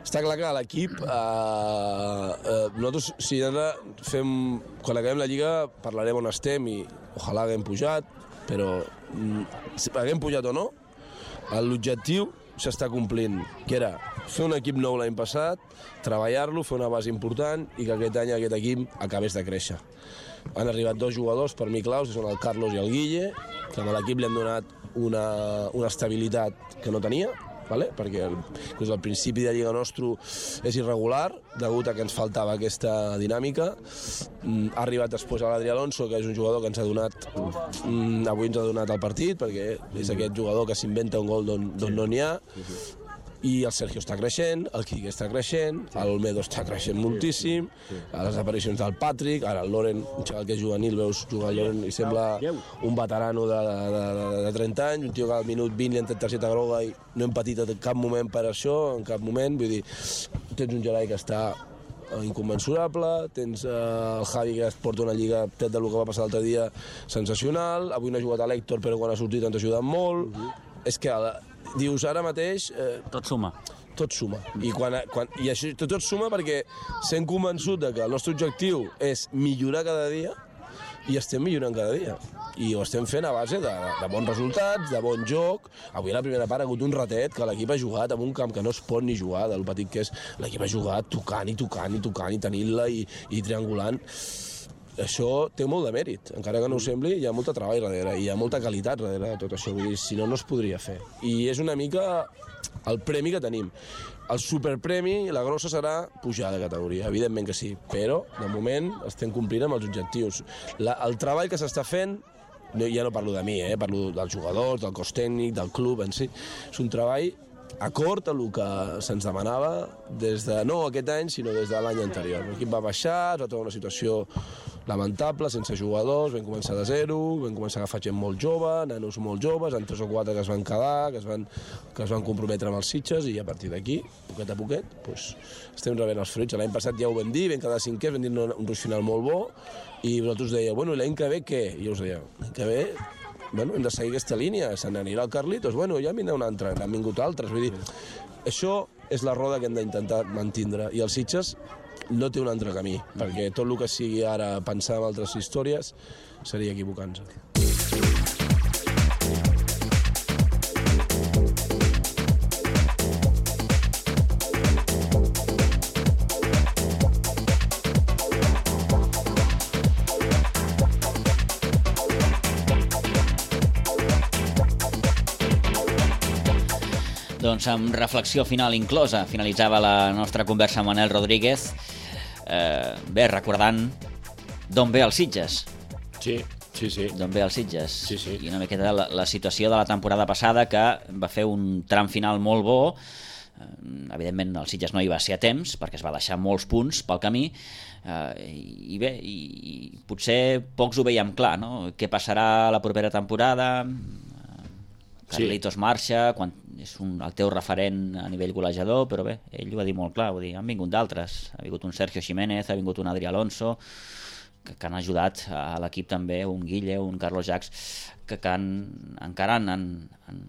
Està clar que l'equip, eh, eh, nosaltres, si ara fem, quan acabem la Lliga, parlarem on estem i ojalà haguem pujat, però si haguem pujat o no, l'objectiu s'està complint, que era fer un equip nou l'any passat, treballar-lo, fer una base important i que aquest any aquest equip acabés de créixer. Han arribat dos jugadors per mi claus, que són el Carlos i el Guille, que a l'equip li han donat una, una estabilitat que no tenia, vale? Perquè el, doncs el principi de Lliga nostre és irregular, degut a que ens faltava aquesta dinàmica. Mm, ha arribat després a l'Adri Alonso, que és un jugador que ens ha donat, mm, avui ens ha donat el partit, perquè és aquest jugador que s'inventa un gol d'on no n'hi ha. I el Sergio està creixent, el Quique està creixent, l'Olmedo està creixent moltíssim, les aparicions del Patrick, ara el Loren, un xaval que és juvenil, veus jugar el Loren i sembla un veterano de, de, de, de trenta anys, un tio que al minut vint li han tret targeta groga i no hem patit en cap moment per això, en cap moment, vull dir, tens un Gerai que està inconmensurable, tens eh, el Javi que es porta una lliga, tret del que va passar l'altre dia, sensacional, avui no ha jugat a l'Hèctor però quan ha sortit ens ha ajudat molt, uh -huh. És que dius ara mateix... Eh, tot suma. Tot suma. I, quan, quan, i això tot, tot suma perquè sent convençut de que el nostre objectiu és millorar cada dia i estem millorant cada dia. I ho estem fent a base de, de bons resultats, de bon joc. Avui a la primera part ha hagut un ratet que l'equip ha jugat en un camp que no es pot ni jugar, del petit que és. L'equip ha jugat tocant i tocant i tocant i tenint-la i, i triangulant. Això té molt de mèrit, encara que no ho sembli, hi ha molta treball darrere, hi ha molta qualitat darrere de tot això, vull dir, si no, no es podria fer. I és una mica el premi que tenim. El superpremi, la grossa serà pujar de categoria, evidentment que sí, però de moment estem complint amb els objectius. La, el treball que s'està fent, no, ja no parlo de mi, eh, parlo dels jugadors, del cos tècnic, del club en si, és un treball acord a el que se'ns demanava des de, no aquest any, sinó des de l'any anterior. L'equip va baixar, es va trobar una situació lamentable, sense jugadors, vam començar de zero, vam començar a agafar gent molt jove, nanos molt joves, en tres o quatre que es van quedar, que es van, que es van comprometre amb els Sitges, i a partir d'aquí, poquet a poquet, doncs, estem rebent els fruits. L'any passat ja ho vam dir, vam quedar cinquè, vam dir un, un ruix final molt bo, i vosaltres dèieu, bueno, l'any que ve què? I jo us deia, l'any que ve... Bueno, hem de seguir aquesta línia, se n'anirà el Carlitos, bueno, ja vindrà un altre, n'han vingut altres, vull dir, això és la roda que hem d'intentar mantindre, i els Sitges no té un altre camí, perquè tot el que sigui ara pensar en altres històries seria equivocant-se. Doncs amb reflexió final inclosa finalitzava la nostra conversa amb Manel Rodríguez. Eh, bé, recordant d'on ve el Sitges. Sí, sí, sí. D'on ve el Sitges. Sí, sí. I una miqueta la, la situació de la temporada passada, que va fer un tram final molt bo. Evidentment el Sitges no hi va ser a temps perquè es va deixar molts punts pel camí, eh, i bé, i, i potser pocs ho veiem clar, no? Què passarà la propera temporada? Carlitos sí. marxa, quan és un, el teu referent a nivell golejador, però bé, ell ho va dir molt clar, vull dir, han vingut d'altres, ha vingut un Sergio Jiménez, ha vingut un Adri Alonso, que, que han ajudat a l'equip també, un Guille, un Carlos Jacques, que, que han, encara han, han, han,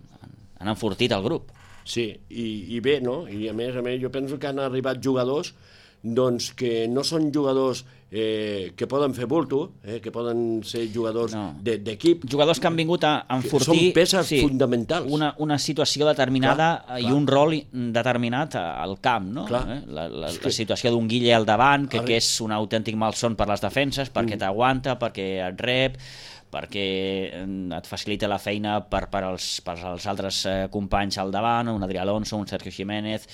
han enfortit el grup. Sí, i, i bé, no? I a més a més jo penso que han arribat jugadors doncs que no són jugadors eh, que poden fer bulto, eh, que poden ser jugadors no. d'equip. Jugadors que han vingut a enfortir... Són peces sí, fonamentals. Una, una situació determinada clar, i clar. un rol determinat al camp, no? Eh? La, la, la situació d'un Guille al davant, que, que és un autèntic malson per les defenses, perquè mm. t'aguanta, perquè et rep, perquè et facilita la feina per, per, als, per als altres eh, companys al davant, un Adri Alonso, un Sergio Jiménez,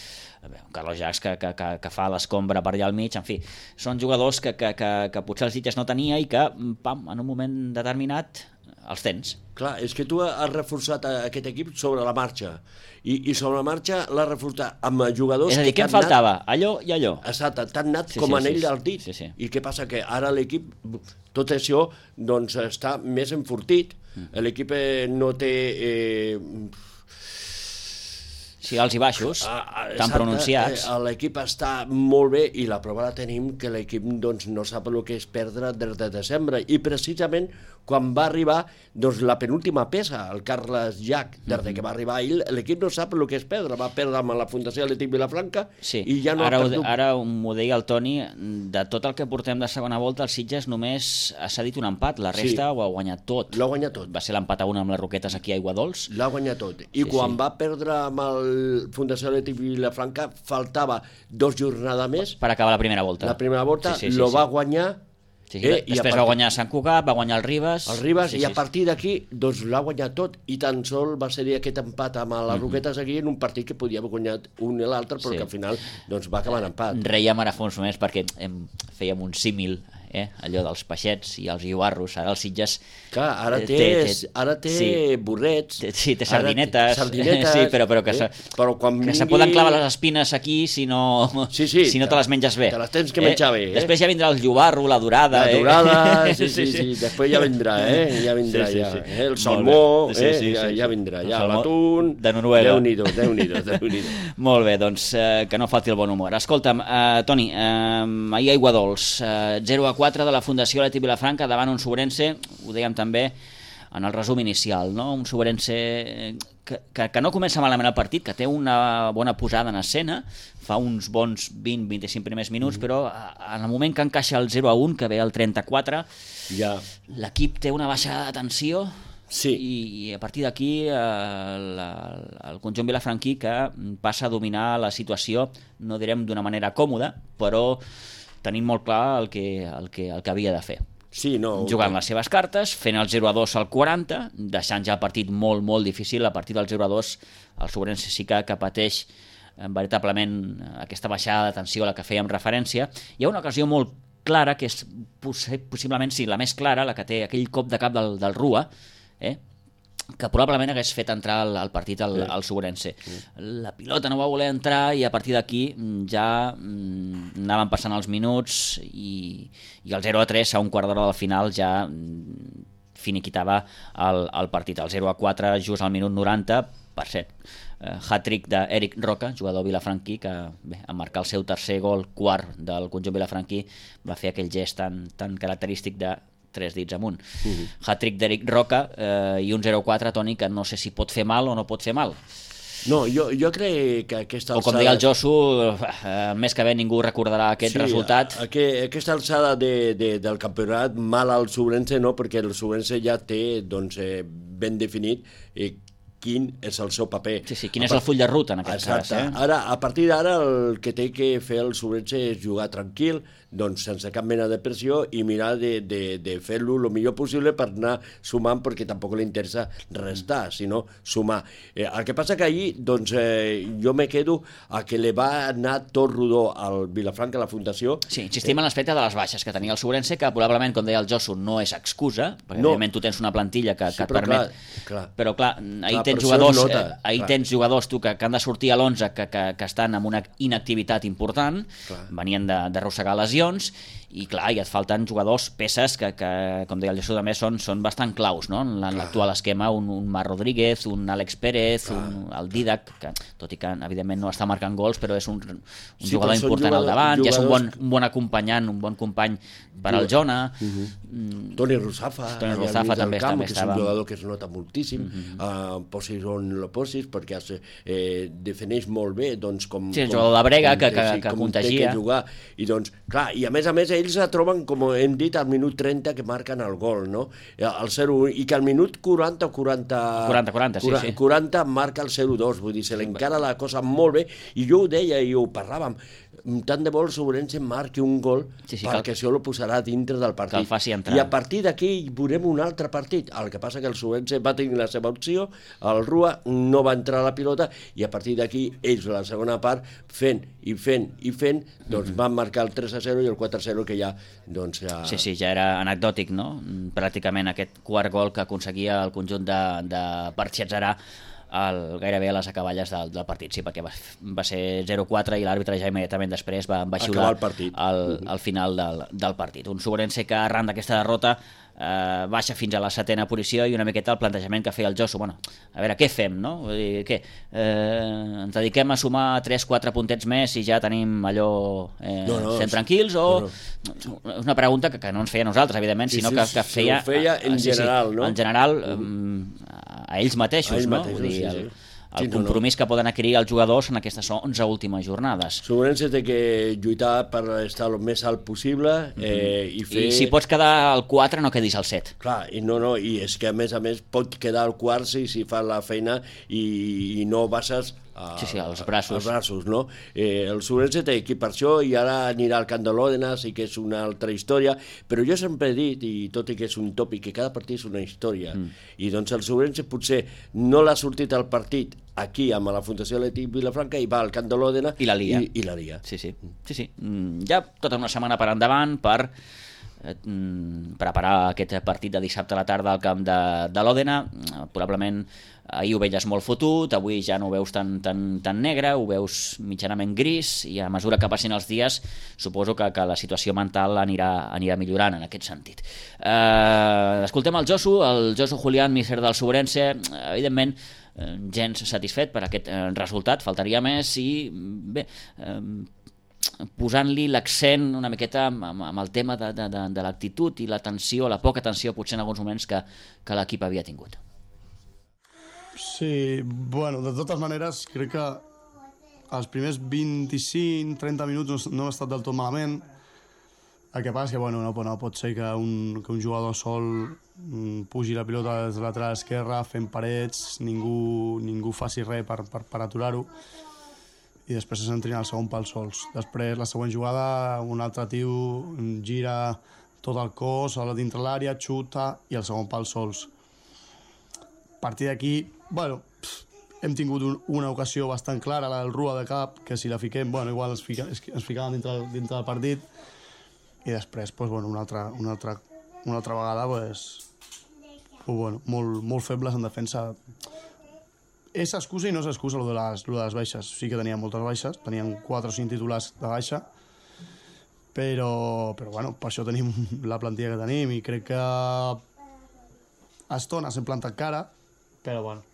un Carlos Jacques que, que, que, que fa l'escombra per allà al mig, en fi, són jugadors que, que, que, que potser els Sitges no tenia i que, pam, en un moment determinat els tens. Clar, és que tu has reforçat aquest equip sobre la marxa i, i sobre la marxa l'has reforçat amb jugadors... És a dir, què em faltava? Nat, allò i allò. Exacte, tan nat sí, com sí, anell sí, del dit. Sí, sí. I què passa? Que ara l'equip, tot això, doncs està més enfortit. Mm. L'equip no té... Eh, sí, alts i baixos, ah, tan pronunciats. Eh, l'equip està molt bé i la prova la tenim que l'equip doncs, no sap el que és perdre des de desembre. I precisament quan va arribar doncs, la penúltima peça, el Carles Llach, des mm-hmm. que va arribar ell, l'equip no sap el que és perdre. Va perdre amb la Fundació Atlètic Vilafranca sí. i ja no ara ha perdut. Ho, ara m'ho deia el Toni, de tot el que portem de segona volta, el Sitges només ha cedit un empat, la resta sí. ho ha guanyat tot. L'ha guanyat tot. Va ser l'empat a una amb les Roquetes aquí a Aiguadols. L'ha guanyat tot. I sí, quan sí. va perdre amb el Fundació Atlètic Vilafranca, faltava dos jornades més. Per acabar la primera volta. La primera volta sí, sí, sí, lo sí. va guanyar. Sí, sí. Eh, Després partir... va guanyar Sant Cugat, va guanyar el Ribes... El Ribes, sí, i a sí, partir d'aquí doncs, l'ha guanyat tot, i tan sol va ser aquest empat amb les mm-hmm. Roquetes aquí en un partit que podia haver guanyat un i l'altre, però sí. que al final doncs, va acabar en empat. Reiem ara fa uns moments perquè em fèiem un símil, eh? allò dels peixets i els guiuarros, ara els Sitges... Clar, ara té, té, té, ara té sí, burrets... Té, sí, té sardinetes, té sardinetes sí, però, però que, eh? se, però quan que vingui... se poden clavar les espines aquí si no, sí, sí, si no te les menges bé. Te les tens que menjar eh? bé. Eh? Després ja vindrà el guiuarro, la dorada... La dorada, eh? sí, sí, sí, sí, després ja vindrà, eh? Ja vindrà, sí, sí, ja. sí. Eh? El salmó, sí, sí, eh? sí, ja, sí. ja vindrà, ja el l'atún... De Noruega. Déu-n'hi-do, Déu-n'hi-do, Déu-n'hi-do. Molt bé, doncs eh, que no falti el bon humor. Escolta'm, eh, Toni, eh, ahir a Aiguadols, eh, zero a quatre de la Fundació Atlètic Vilafranca davant un Sobrense, ho dèiem també en el resum inicial, no? Un Sobrense que, que, que no comença malament el partit, que té una bona posada en escena, fa uns bons vint a vint-i-cinc primers minuts, mm. però en el moment que encaixa el zero a un, que ve el trenta-quatre, ja. l'equip té una baixada de tensió sí. i, i a partir d'aquí el, el conjunt vilafranquí que passa a dominar la situació, no direm d'una manera còmoda, però tenim molt clar el que, el que, el que havia de fer. Sí, no, jugant no. les seves cartes, fent el zero a dos al quaranta, deixant ja el partit molt, molt difícil. A partir del zero a dos el Sobrense sí que, que pateix eh, veritablement aquesta baixada de tensió a la que fèiem referència. Hi ha una ocasió molt clara, que és possiblement sí, la més clara, la que té aquell cop de cap del, del Rua, eh? que probablement hagués fet entrar al, al partit al, sí. al Sobrense. Sí. La pilota no va voler entrar i a partir d'aquí ja mm, anaven passant els minuts i, i el zero a tres a un quart d'hora del final ja mm, finiquitava el, el partit. El zero a quatre just al minut noranta, per cert, eh, hat-trick d'Eric Roca, jugador vilafranquí, que bé, en marcar el seu tercer gol, quart del conjunt vilafranquí, va fer aquell gest tan, tan característic de tres dits amunt. Uh-huh. Hat-trick d'Eric Roca eh, i un zero quatre, Toni, que no sé si pot fer mal o no pot fer mal. No, jo, jo crec que aquesta alçada... O com deia el Josu, eh, més que bé ningú recordarà aquest sí, resultat. Aqu aquesta alçada de, de, del campionat, mal al Sobrense no, perquè el Sobrense ja té doncs, eh, ben definit eh, quin és el seu paper. Sí, sí, quin és el full de ruta en aquest Exacte. cas. Eh? Ara, a partir d'ara el que té que fer el Sobrense és jugar tranquil, doncs sense cap mena de pressió i mirar de, de, de fer-lo el millor possible per anar sumant, perquè tampoc li interessa restar, sinó sumar. Eh, el que passa que ahir, doncs, eh, jo me quedo a que li va anar tot rodó al Vilafranca, a la Fundació. Sí, insistim en l'aspecte de les baixes que tenia el Sobrense, que probablement, com deia el Josu, no és excusa, perquè no. Evidentment tu tens una plantilla que, que sí, et permet... Clar, clar. Però clar, ahir clar, tens jugadors, nota, eh, ahir clar. tens jugadors tu, que, que han de sortir a l'onze, que, que, que estan amb una inactivitat important, clar. Venien d'arrossegar lesions, i clar, i et falten jugadors, peces que, que com deia el Jesús també, són, són bastant claus, no? En l'actual esquema, un, un Mar Rodríguez, un Àlex Pérez, un, el Didac, que tot i que evidentment no està marcant gols, però és un, un sí, jugador important jugador, al davant, ja és un bon, un bon acompanyant, un bon company per al Jona. Uh -huh. mm, Toni Ruzafa, Toni Ruzafa també, camp, també que estava... és un jugador que es nota moltíssim, uh -huh. uh, posis on lo posis, perquè es, eh, defineix molt bé, doncs, com... Sí, el com, jugador de brega, com, que, que, sí, que com contagia. Que jugar. I doncs, clar, i a més a més ells se troben, com hem dit, al minut trenta que marquen el gol, no? El zero u, i que al minut quaranta o quaranta... quaranta, quaranta, sí, sí. quaranta marca el zero dos, vull dir, se l'encara la cosa molt bé, i jo ho deia i ho parlàvem, tant de bo el Sobrense marqui un gol, sí, sí, perquè cal... això lo posarà dintre del partit. Que el faci entrar. I a partir d'aquí veurem un altre partit. El que passa que el Sobrense va tenir la seva opció, el Rua no va entrar a la pilota, i a partir d'aquí ells, la segona part, fent i fent i fent, doncs mm-hmm. van marcar el tres a zero i el quatre a zero, que ja, doncs... Ja... Sí, sí, ja era anecdòtic, no? Pràcticament aquest quart gol que aconseguia el conjunt de, de Barxetzerà el, gairebé a les acaballes del, del partit, sí, perquè va, va ser zero quatre i l'àrbitre ja immediatament després va, va xiular al, al final del, del partit. Un Sobrense que arran d'aquesta derrota eh, baixa fins a la setena posició, i una miqueta el plantejament que feia el Josu, bueno, a veure, què fem, no? Vull dir, què? Eh, ens dediquem a sumar tres quatre puntets més i ja tenim allò eh, no, no, sent tranquils, o... No, no. És una pregunta que, que no ens feia a nosaltres, evidentment, sí, sinó sí, que, que feia... Sí, feia en sí, general, sí, no? En general, eh, a ells mateixos, a ells no? Mateixos, Vull dir, sí, el, sí. el sí, compromís no, no. que poden adquirir els jugadors en aquestes onze últimes jornades. Sobrense té que lluitar per estar el més alt possible, eh, i fer... I si pots quedar al quatre, no quedis al set. Clar, i no, no, i és que a més a més pot quedar al quart si, si fa la feina i, i no bases... A, sí, sí, als braços. als braços, no? Eh, el Sobrense té equip per això, i ara anirà al Camp de l'Òdena, sí que és una altra història, però jo sempre he dit, i tot i que és un tòpic, que cada partit és una història, mm. i doncs el Sobrense potser no l'ha sortit al partit aquí amb la Fundació Atlètic Vilafranca i va al Camp de l'Òdena i la Liga. I, i la Liga. Sí, sí. sí, sí. Ja tota una setmana per endavant per eh, preparar aquest partit de dissabte a la tarda al camp de, de l'Òdena. Probablement ahir ho veies molt fotut, avui ja no ho veus tan, tan, tan negre, ho veus mitjanament gris, i a mesura que passin els dies suposo que, que la situació mental anirà, anirà millorant en aquest sentit. Eh, escoltem el Josu, el Josu Julián, míster del Sobrense, evidentment gens satisfet per aquest eh, resultat, faltaria més, i bé, eh, posant-li l'accent una miqueta amb, amb el tema de, de, de, de l'actitud i la tensió, la poca tensió potser en alguns moments que, que l'equip havia tingut. Sí, bueno, de totes maneres crec que els primers vint-i-cinc trenta minuts no ha estat del tot malament. El que passa és que bueno, no, no pot ser que un, que un jugador sol mm, pugi la pilota des de la lateral esquerra fent parets, ningú, ningú faci res per, per, per aturar-ho, i després se s'entrina el segon pal sols. Després, la següent jugada, un altre tio gira tot el cos a dintre l'àrea, xuta, i el segon pal sols. A partir d'aquí, bueno, pff, hem tingut un, una ocasió bastant clara, la del Rua de cap, que si la fiquem, bueno, igual ens, fica, ens ficàvem dintre, dintre del partit, i després, pues, bueno, una, altra, una, altra, una altra vegada, pues, pues, bueno, molt, molt febles en defensa. És excusa i no és excusa lo de les, lo de les baixes. Sí que teníem moltes baixes, teníem quatre o cinc titulars de baixa, però, però bueno, per això tenim la plantilla que tenim, i crec que a estones hem plantat cara, però bueno,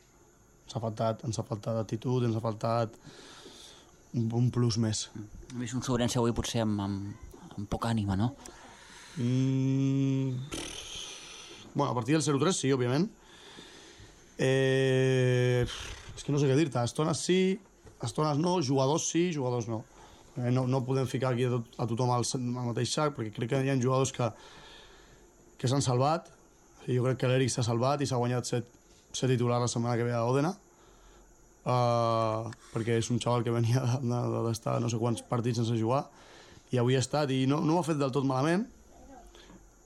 ens ha faltat, ens ha faltat actitud, ens ha faltat un, un plus més. He vist un Sobrense avui potser amb, amb, amb poca ànima, no? Mm, bueno, a partir del zero tres sí, òbviament. Eh, és que no sé què dir-te, estones sí, estones no, jugadors sí, jugadors no. Eh, no, no podem ficar aquí a, tot, a tothom al, al mateix sac, perquè crec que hi ha jugadors que, que s'han salvat. Jo crec que l'Eric s'ha salvat i s'ha guanyat set, set titulars la setmana que ve a Òdena, uh, perquè és un xaval que venia d'estar no sé quants partits sense jugar, i avui ha estat, i no, no ho ha fet del tot malament,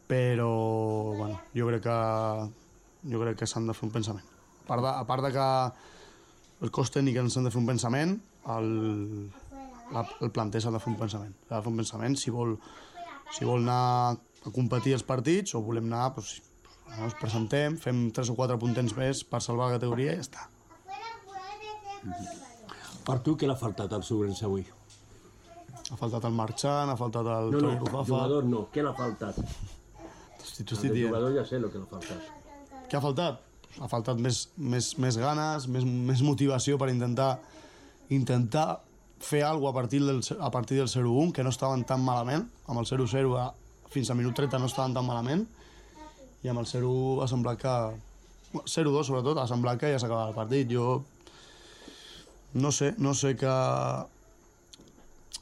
però bueno, jo crec que jo crec que s'han de fer un pensament. A part de, a part de que el cos tècnic ens han de fer un pensament, el, la, el planter s'ha de fer un pensament. S'ha de fer un pensament si vol, si vol anar a competir els partits o volem anar, doncs, ens presentem, fem tres o quatre puntets més per salvar la categoria i ja està. Per tu, què l'ha faltat al Sobrense avui? Ha faltat el Marchant, ha faltat el No, Toni no, Ruzafa. jugador no, què l'ha faltat? Hosti, t'ho El estic dient. jugador ja sé el que l'ha faltat. Què ha faltat? Ha faltat més, més, més ganes, més, més motivació per intentar intentar fer alguna cosa a partir del, a partir del zero un, que no estaven tan malament. Amb el zero zero a, fins al minut trenta no estaven tan malament. I amb el zero un ha semblat que... zero dos, sobretot, ha semblat que ja s'acabava el partit. Jo no sé, no sé que...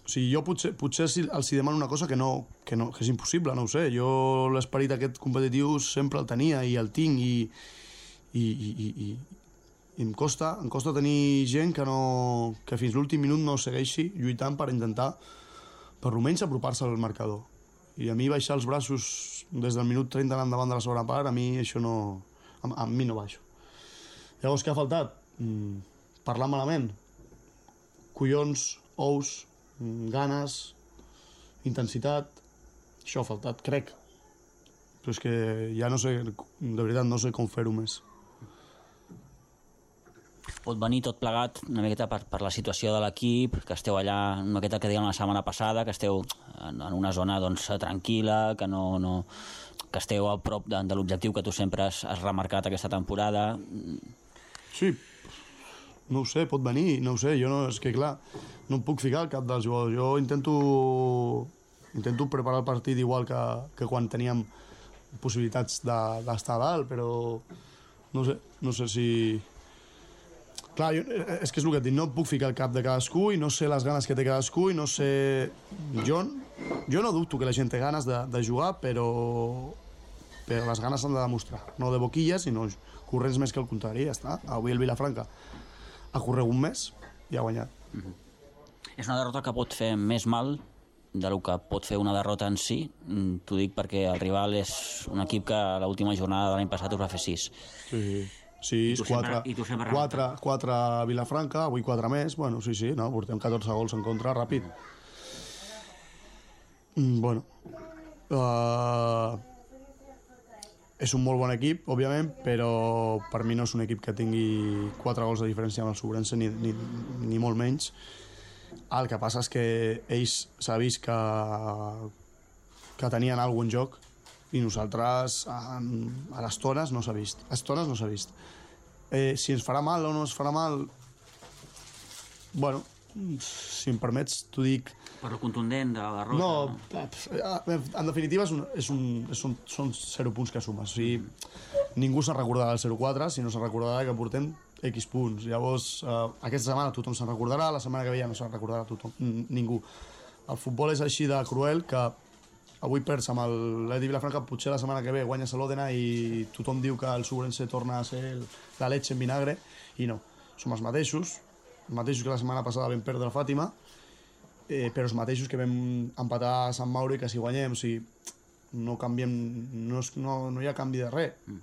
O sigui, jo potser, potser els hi demano una cosa que, no, que, no, que és impossible, no ho sé. Jo l'esperit aquest competitiu sempre el tenia i el tinc i, i, i, i, i, i em costa, em costa tenir gent que, no, que fins l'últim minut no segueixi lluitant per intentar, per almenys apropar-se al marcador. I a mi baixar els braços des del minut trenta en endavant de la segona part, a mi això no... A, a mi no baixo. Llavors, què ha faltat? Mm, parlar malament. Collons, ous, ganes, intensitat, això ha faltat, crec. Però és que ja no sé, de veritat no sé com fer-ho més. Pot venir tot plegat una miqueta per, per la situació de l'equip, que esteu allà, una miqueta que dèiem la setmana passada, que esteu en, en una zona doncs, tranquil·la, que, no, no, que esteu a prop de, de l'objectiu que tu sempre has, has remarcat aquesta temporada. Sí, no ho sé, pot venir, no ho sé, jo no, és que clar, no em puc ficar al cap dels jugadors. Jo intento, intento preparar el partit igual que, que quan teníem possibilitats d'estar a dalt, però no sé, no sé si... Clar, jo, és que és el que et dic, no em puc ficar al cap de cadascú i no sé les ganes que té cadascú i no sé... Jo, jo no dubto que la gent té ganes de, de jugar, però, però les ganes s'han de demostrar. No de boquilles, sinó corrents més que el contrari, ja està. Avui el Vilafranca ha corregut més i ha guanyat. Mm-hmm. És una derrota que pot fer més mal del que pot fer una derrota en si. T'ho dic perquè el rival és un equip que a l'última jornada de l'any passat us va fer sis. Sí, sis, quatre, quatre, quatre a Vilafranca, avui quatre més. Bueno, sí, sí, no, portem catorze gols en contra, ràpid. Mm, bueno, uh, és un molt bon equip, òbviament, però per mi no és un equip que tingui quatre gols de diferència amb el Sobrense, ni, ni, ni molt menys. El que passa és que ells s'ha vist que, que tenien alguna cosa en joc i nosaltres en, a les tones no s'ha vist. A les tones no s'ha vist. Eh, si ens farà mal o no ens farà mal, bueno, si em permets, t'ho dic... Per lo contundent de la derrota. No, en definitiva és un, és un, són, són zero punts que sumes. O sigui, ningú se'n recordarà del zero quatre, sinó se'n recordarà que portem X punts. Llavors, eh, aquesta setmana tothom se'n recordarà, la setmana que ve ja no se'n recordarà tothom, ningú. El futbol és així de cruel que avui perds amb l'Edi Vilafranca, potser la setmana que ve guanyes l'Òdena i tothom diu que el Sobrense torna a ser el, la leche en vinagre, i no. Som els mateixos, els mateixos que la setmana passada vam perdre la Fàtima, eh, però els mateixos que vam empatar a Sant Mauro i que si guanyem, o sigui, no canviem, no, és, no, no hi ha canvi de res. Mm.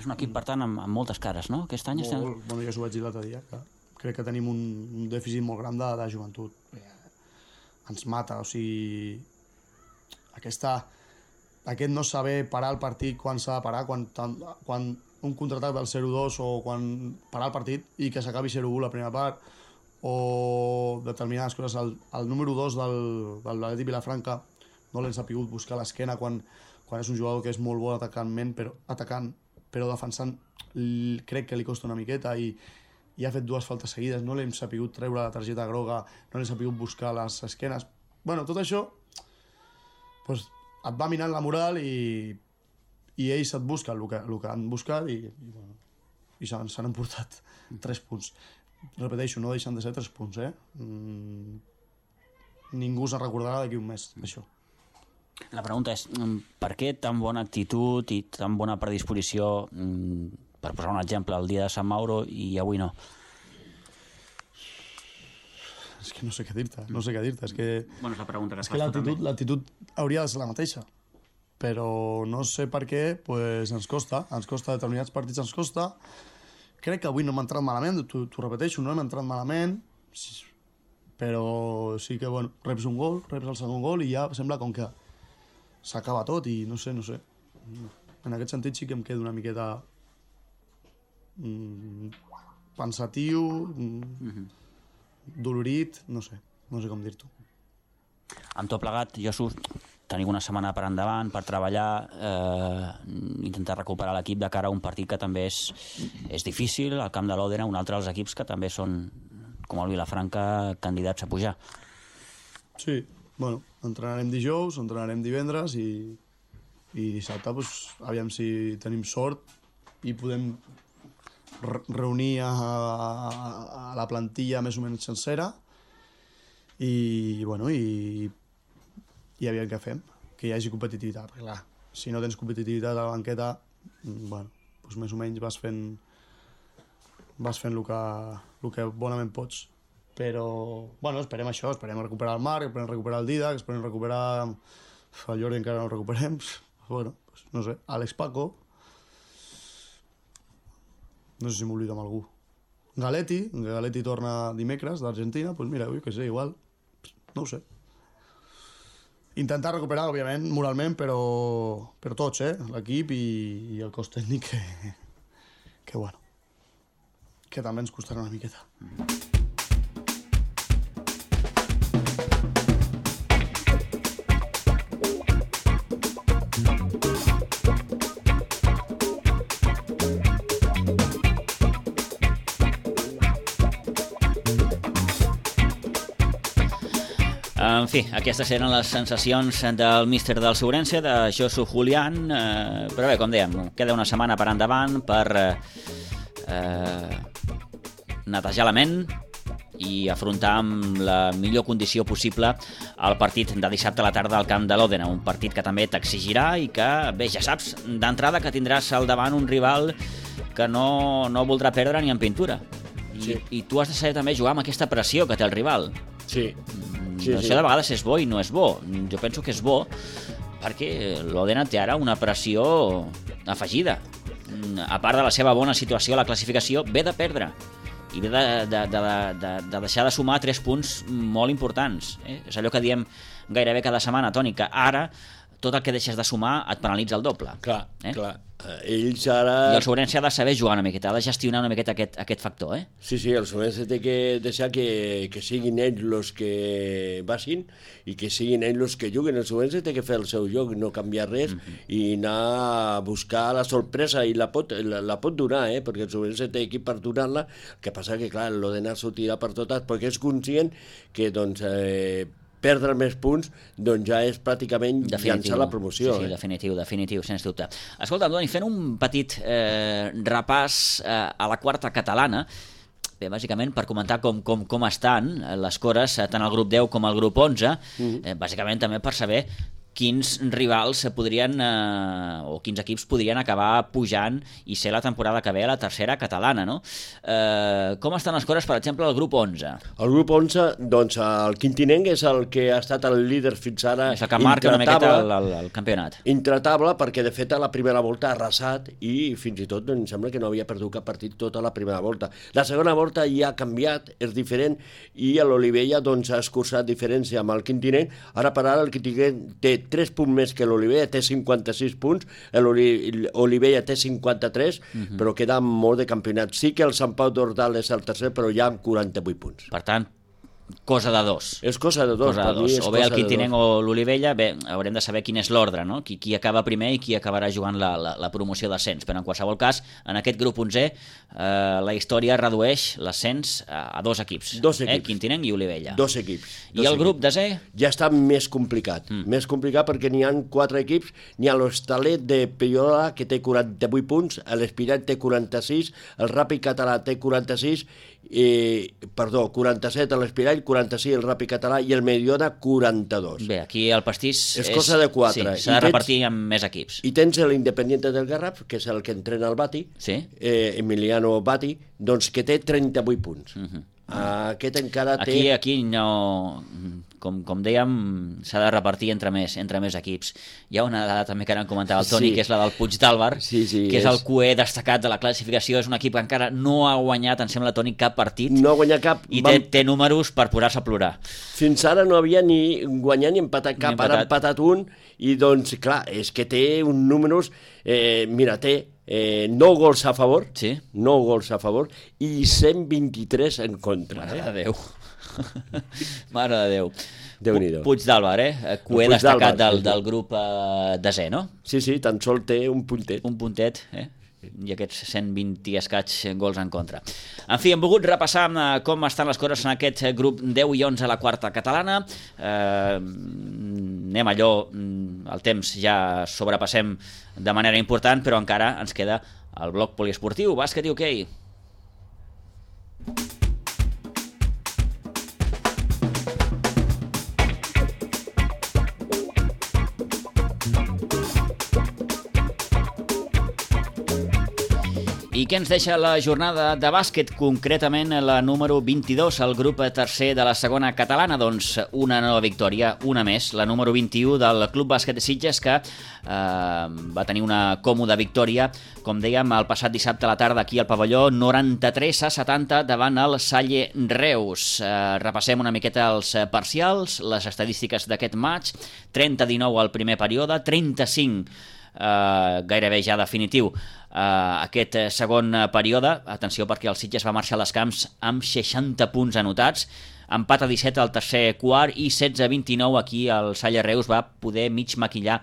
És un equip, per tant, amb, amb moltes cares, no? Aquest any estem... Molt, bueno, ja s'ho vaig dir l'altre dia, que crec que tenim un, un dèficit molt gran de, de joventut. Eh, ens mata, o sigui... Aquesta, aquest no saber parar el partit quan s'ha de parar, quan, quan un contraatac del zero dos o quan parar el partit i que s'acabi zero u la primera part, o determinades coses. El, el número dos del, del Atlètic Vilafranca no l'hem sabut buscar a l'esquena quan, quan és un jugador que és molt bo atacantment, però, atacant, però defensant crec que li costa una miqueta i, i ha fet dues faltes seguides, no l'hem sabut treure la targeta groga, no l'hem sabut buscar les esquenes. Bueno, tot això pues, et va minant la moral i, i ells et busquen el que, el que han buscat i, i, bueno, i s'han emportat tres punts. Repeteixo, no deixen de ser tres punts, eh? Mm, ningú se'n recordarà d'aquí un mes, això. La pregunta és, per què tan bona actitud i tan bona predisposició, per posar un exemple, el dia de Sant Mauro i avui no? és que no sé què dir-te, no sé què dir-te. És que, bueno, és la pregunta que es és que l'actitud, l'actitud hauria de ser la mateixa. Però no sé per què, pues, ens costa, ens costa, determinats partits ens costa. Crec que avui no hem entrat malament, t'ho repeteixo, no hem entrat malament, però sí que, bueno, reps un gol, reps el segon gol i ja sembla com que s'acaba tot i no sé, no sé. En aquest sentit sí que em quedo una miqueta mm, pensatiu, mm, mm-hmm. dolorit, no sé, no sé com dir-t'ho. Amb tot plegat, Josu, tenim una setmana per endavant per treballar, eh, intentar recuperar l'equip de cara a un partit que també és, és difícil, al camp de l'Òdena, un altre dels equips que també són, com el Vilafranca, candidats a pujar. Sí, bueno, entrenarem dijous, entrenarem divendres i, i dissabte, pues, aviam si tenim sort i podem reunir a, a, a la plantilla més o menys sencera i, bueno, i, i aviam què fem, que hi hagi competitivitat, perquè clar, si no tens competitivitat a la banqueta, bueno, doncs més o menys vas fent vas fent el que, el que bonament pots. Però, bueno, esperem això, esperem recuperar el Marc, esperem recuperar el Didac, esperem recuperar el Jordi, encara no el recuperem, bueno, pues, no sé, Àlex Paco, no sé si m'oblido amb algú. Galetti, Galetti torna dimecres d'Argentina, doncs pues mira, ui, que sé, igual, no ho sé. Intentar recuperar, òbviament, moralment, però, però tots, eh? L'equip i, i el cos tècnic, que, que bueno, que també ens costarà una miqueta. En fi, aquestes eren les sensacions del míster del Segurense, de Josu Julián, eh, però bé, com dèiem, queda una setmana per endavant per eh, netejar la ment i afrontar amb la millor condició possible el partit de dissabte a la tarda al camp de l'Òdena, un partit que també t'exigirà i que, bé, ja saps d'entrada que tindràs al davant un rival que no, no voldrà perdre ni en pintura. I, sí. I tu has de saber també jugar amb aquesta pressió que té el rival. Sí. Sí, això sí. de vegades és bo i no és bo. Jo penso que és bo perquè l'Òdena té ara una pressió afegida. A part de la seva bona situació a la classificació, ve de perdre i ve de, de, de, de, de deixar de sumar tres punts molt importants. Eh? És allò que diem gairebé cada setmana, Toni, que ara tot el que deixes de sumar et penalitza el doble. Clar, eh? clar. Ells ara... I el Segurense ha de saber jugar una miqueta, ha de gestionar una miqueta aquest, aquest factor, eh? Sí, sí, el Segurense té que deixar que, que siguin ells els que baixin i que siguin ells els que juguen. El Segurense té que fer el seu joc, no canviar res, mm-hmm. i anar a buscar la sorpresa, i la pot, la, la pot donar, eh? Perquè el Segurense té equip per donar-la. El que passa que, clar, l'Òdena s'ho tira per totes, perquè és conscient que, doncs, eh, perdre més punts, doncs ja és pràcticament llançar la promoció. Sí, sí, eh? definitiu, definitiu, sens dubte. Escolta, Doni, fent un petit eh, repàs eh, a la quarta catalana, bé, bàsicament per comentar com, com, com estan les cores, tant al grup deu com al grup onze, mm-hmm. eh, bàsicament també per saber quins rivals podrien, eh, o quins equips podrien acabar pujant i ser la temporada que ve a la tercera catalana, no? Eh, com estan les coses, per exemple, al grup onze? El grup onze, doncs, el Quintinenc és el que ha estat el líder fins ara. És el que marca una miqueta el, el, el campionat. Intratable, perquè de fet a la primera volta ha arrasat i fins i tot em sembla que no havia perdut cap partit tota la primera volta. La segona volta ja ha canviat, és diferent, i l'Olivella doncs, ha escurçat diferència amb el Quintinenc. Ara per ara el Quintinenc té tres punts més que l'Olivella, té cinquanta-sis punts, l'Olivella té cinquanta-tres, uh-huh. però queda molt de campionat. Sí que el Sant Pau d'Ordal és el tercer, però ja amb quaranta-vuit punts. Per tant, cosa de dos. És cosa de dos. Cosa de dos. O bé el Quintinenc o l'Olivella, bé, haurem de saber quin és l'ordre, no? Qui, qui acaba primer i qui acabarà jugant la, la, la promoció d'ascens. Però en qualsevol cas, en aquest grup onzè, eh, la història redueix l'ascens a, a dos equips. Dos equips. Eh? Quintinenc i Olivella. Dos equips. I dos el equips. grup desè? Ja està més complicat. Mm. Més complicat perquè n'hi ha quatre equips. N'hi ha l'Hostalet de Peyola, que té quaranta-vuit punts, l'Espirat té quaranta-sis, el Ràpid Català té quaranta-sis, eh, perdó, quaranta-set l'Espirall, quaranta-sis el Ràpid Català i el Mediona quaranta-dos. Bé, aquí el pastís és, és cosa de quatre. Sí, s'ha de repartir amb més equips. I tens l'Independiente del Garraf, que és el que entrena el Bati, sí? eh, Emiliano Bati, doncs que té trenta-vuit punts. Uh-huh. Aquest encara té... Aquí, aquí no... Com, com dèiem, s'ha de repartir entre més, entre més equips. Hi ha una dada també que ara em comentava el Toni, Sí. que és la del Puig d'Àlvar, Sí, sí, que és, és- el cué destacat de la classificació. És un equip que encara no ha guanyat, em sembla, Toni, cap partit. No ha guanyat cap. I Vam- té, té números per posar-se a plorar. Fins ara no havia ni guanyat ni empatat cap, Ni ara ha empatat. empatat un, i doncs, clar, és que té uns números, eh, mira, té eh, nou gols a favor, Sí. nou gols a favor, i cent vint-i-tres en contra. Mare Eh? de Déu. Mare de Déu. Déu-n'hi-do. Puig d'Àlvar, eh? Cué Puig destacat d'Àlvar, del, sí, sí. del grup eh, desè, no? Sí, sí, tan sol té un puntet. Un puntet, eh? I aquests cent vint i escaig gols en contra. En fi, hem volgut repassar eh, com estan les coses en aquest grup deu i onze a la quarta catalana. Eh, anem allò, mm, el temps ja sobrepassem de manera important, però encara ens queda el bloc poliesportiu, bàsquet i hoquei. I què ens deixa la jornada de bàsquet, concretament la número vint-i-dos, el grup tercer de la segona catalana? Doncs una nova victòria, una més, la número vint-i-u del Club Bàsquet de Sitges, que eh, va tenir una còmoda victòria, com dèiem, el passat dissabte a la tarda aquí al pavelló, noranta-tres a setanta davant el Salle Reus. Eh, repassem una miqueta els parcials, les estadístiques d'aquest match: trenta a dinou al primer període, trenta-cinc Uh, gairebé ja definitiu uh, aquest segon període. Atenció, perquè el Sitges va marxar als camps amb seixanta punts anotats, empat a disset al tercer quart i setze a vint-i-nou aquí el Salle Reus va poder mig maquillar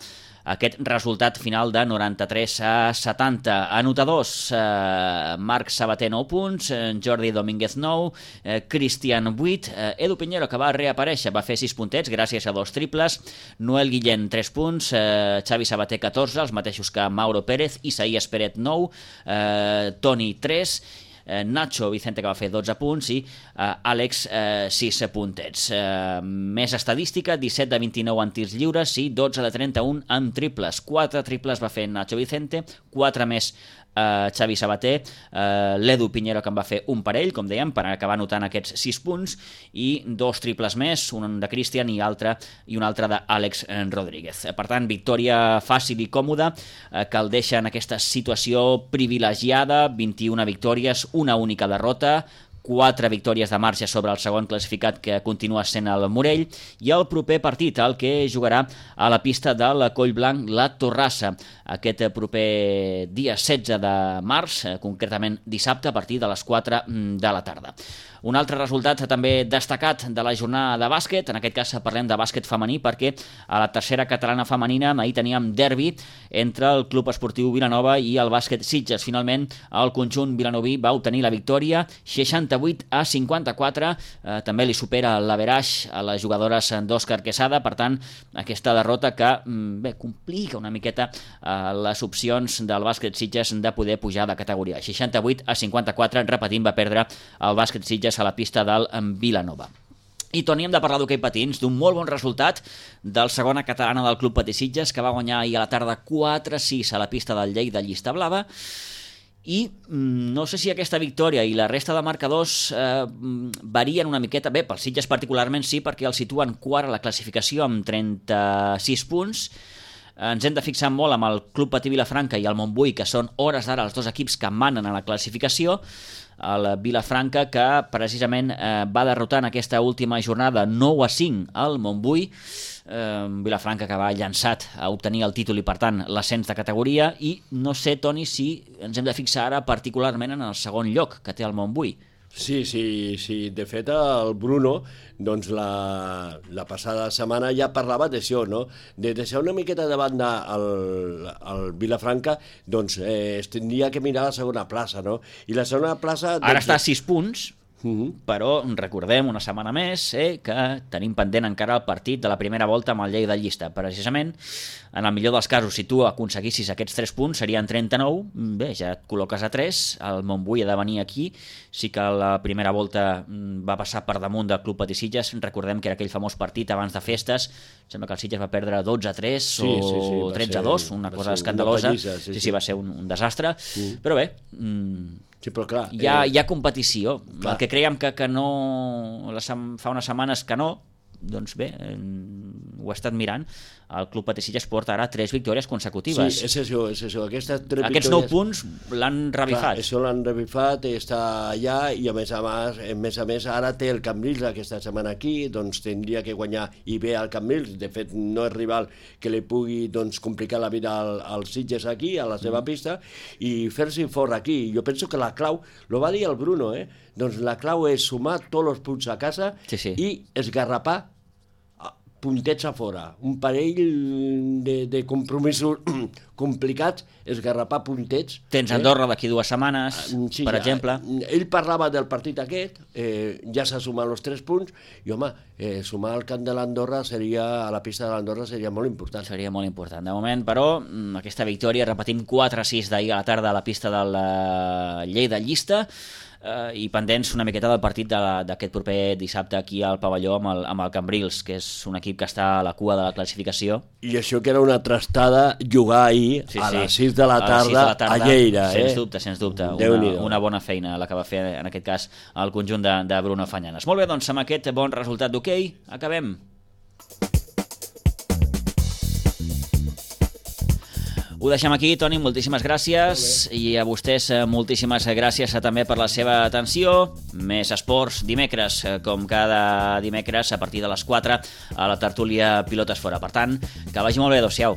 aquest resultat final de noranta-tres a setanta. Anotadors: eh, Marc Sabater nou punts, eh, Jordi Domínguez nou, eh, Cristian vuit, eh, Edu Piñero, que va reaparèixer, va fer sis puntets gràcies a dos triples, Noel Guillén tres punts, eh, Xavi Sabater catorze, els mateixos que Mauro Pérez, Isaías Peret nou, eh, Toni tres, Eh, Nacho Vicente, que va fer dotze punts, i eh, Àlex eh, sis puntets. Eh, més estadística: disset de vint-i-nou en tirs lliures i dotze de trenta-un en triples. quatre triples va fer Nacho Vicente, quatre més eh, Xavi Sabater, eh, l'Edu Piñero, que en va fer un parell, com dèiem, per acabar anotant aquests sis punts, i dos triples més, un de Cristian i, altre, i un altre d'Àlex Rodríguez. Per tant, victòria fàcil i còmoda, eh, que el deixa en aquesta situació privilegiada, vint-i-una victòries, una única derrota, quatre victòries de marge sobre el segon classificat, que continua sent el Morell, i el proper partit, el que jugarà a la pista del Collblanc, la Torrassa, aquest proper dia setze de març, concretament dissabte, a partir de les quatre de la tarda. Un altre resultat també destacat de la jornada de bàsquet, en aquest cas parlem de bàsquet femení, perquè a la tercera catalana femenina ahir teníem derbi entre el Club Esportiu Vilanova i el Bàsquet Sitges. Finalment, el conjunt vilanoví va obtenir la victòria, seixanta-vuit a cinquanta-quatre, eh, també li supera l'averaix a les jugadores d'Òscar Quesada. Per tant, aquesta derrota que bé, complica una miqueta eh, les opcions del Bàsquet Sitges de poder pujar de categoria. seixanta-vuit a cinquanta-quatre, repetint, va perdre el Bàsquet Sitges a la pista del Vilanova. I, Toni, hem de parlar d'hoquei patins, d'un molt bon resultat del segona catalana del Club Patí Sitges, que va guanyar ahir a la tarda quatre a sis a la pista del Lleida Llista Blava. I mm, no sé si aquesta victòria i la resta de marcadors eh, varien una miqueta. Bé, pels Sitges particularment sí, perquè el situen quart a la classificació amb trenta-sis punts. Ens hem de fixar molt amb el Club Patí Vilafranca i el Montbui, que són hores d'ara els dos equips que manen a la classificació. El Vilafranca, que precisament eh, va derrotar en aquesta última jornada nou a cinc al Montbui. Eh, Vilafranca, que va llançat a obtenir el títol i, per tant, l'ascens de categoria. I no sé, Toni, si ens hem de fixar ara particularment en el segon lloc que té el Montbui. Sí, sí, sí. De fet, el Bruno, doncs la, la passada setmana ja parlava d'això, no? De deixar una miqueta de banda el, el Vilafranca, doncs eh, es tindria que mirar la segona plaça, no? I la segona plaça... Doncs... Ara està a sis punts, Uh-huh. però recordem una setmana més eh, que tenim pendent encara el partit de la primera volta amb el Lleida Llista. Precisament, en el millor dels casos, si tu aconseguissis aquests tres punts, serien trenta-nou. Bé, ja et col·loques a tres. El Montbui ha de venir aquí. Sí que la primera volta va passar per damunt del Club Patí Sitges. Recordem que era aquell famós partit abans de festes. Sembla que el Sitges va perdre dotze a tres sí, o sí, sí, tretze a dos, una cosa escandalosa. Una pallissa, sí, sí, sí, va ser un, un desastre. Mm. Però bé, mm, Sí, però clar... Hi ha, eh, hi ha competició. clar. El que creiem que, que no... La sem- fa unes setmanes que no, doncs bé, eh, ho he estat mirant. El Club Patí Sitges porta ara tres victòries consecutives. Sí, és això, és això. Aquestes tres Aquests nou victòries... punts l'han revifat. Clar, això l'han revifat, està allà i a més a més, a més a més ara té el Cambrils aquesta setmana aquí, doncs tindria que guanyar i bé al Cambrils, de fet no és rival que li pugui doncs, complicar la vida al, als Sitges aquí, a la seva pista, i fer-s'hi fort aquí. Jo penso que la clau, lo va dir el Bruno, eh? doncs la clau és sumar tots els punts a casa Sí, sí. i esgarrapar puntets a fora, un parell de, de compromisos complicats, esgarrapar puntets. Tens Andorra d'aquí dues setmanes, Sí, per ja, exemple. Ell parlava del partit aquest, eh, ja s'ha sumat els tres punts, i home, eh, sumar al camp de l'Andorra seria, a la pista de l'Andorra seria molt important. Seria molt important. De moment, però, aquesta victòria, repetim quatre a sis d'ahir a la tarda a la pista de la Lleida Llista, eh, i pendents una miqueta del partit d'aquest proper dissabte aquí al pavelló amb el, amb el Cambrils, que és un equip que està a la cua de la classificació. I això que era una trastada jugar ahir Sí, a sí. les sis de la A les tarda, sis de la tarda, a Lleida. Sens eh? dubte, sens dubte. Una, Déu-n'hi-do. una bona feina la que va fer, en aquest cas, el conjunt de, de Bruno Fanyanes. Molt bé, doncs, amb aquest bon resultat d'hoquei, acabem. Ho deixem aquí, Toni, moltíssimes gràcies, i a vostès eh, moltíssimes gràcies eh, també per la seva atenció. Més esports dimecres, eh, com cada dimecres a partir de les quatre a la tertúlia Pilotes Fora. Per tant, que vagi molt bé, adéu-siau.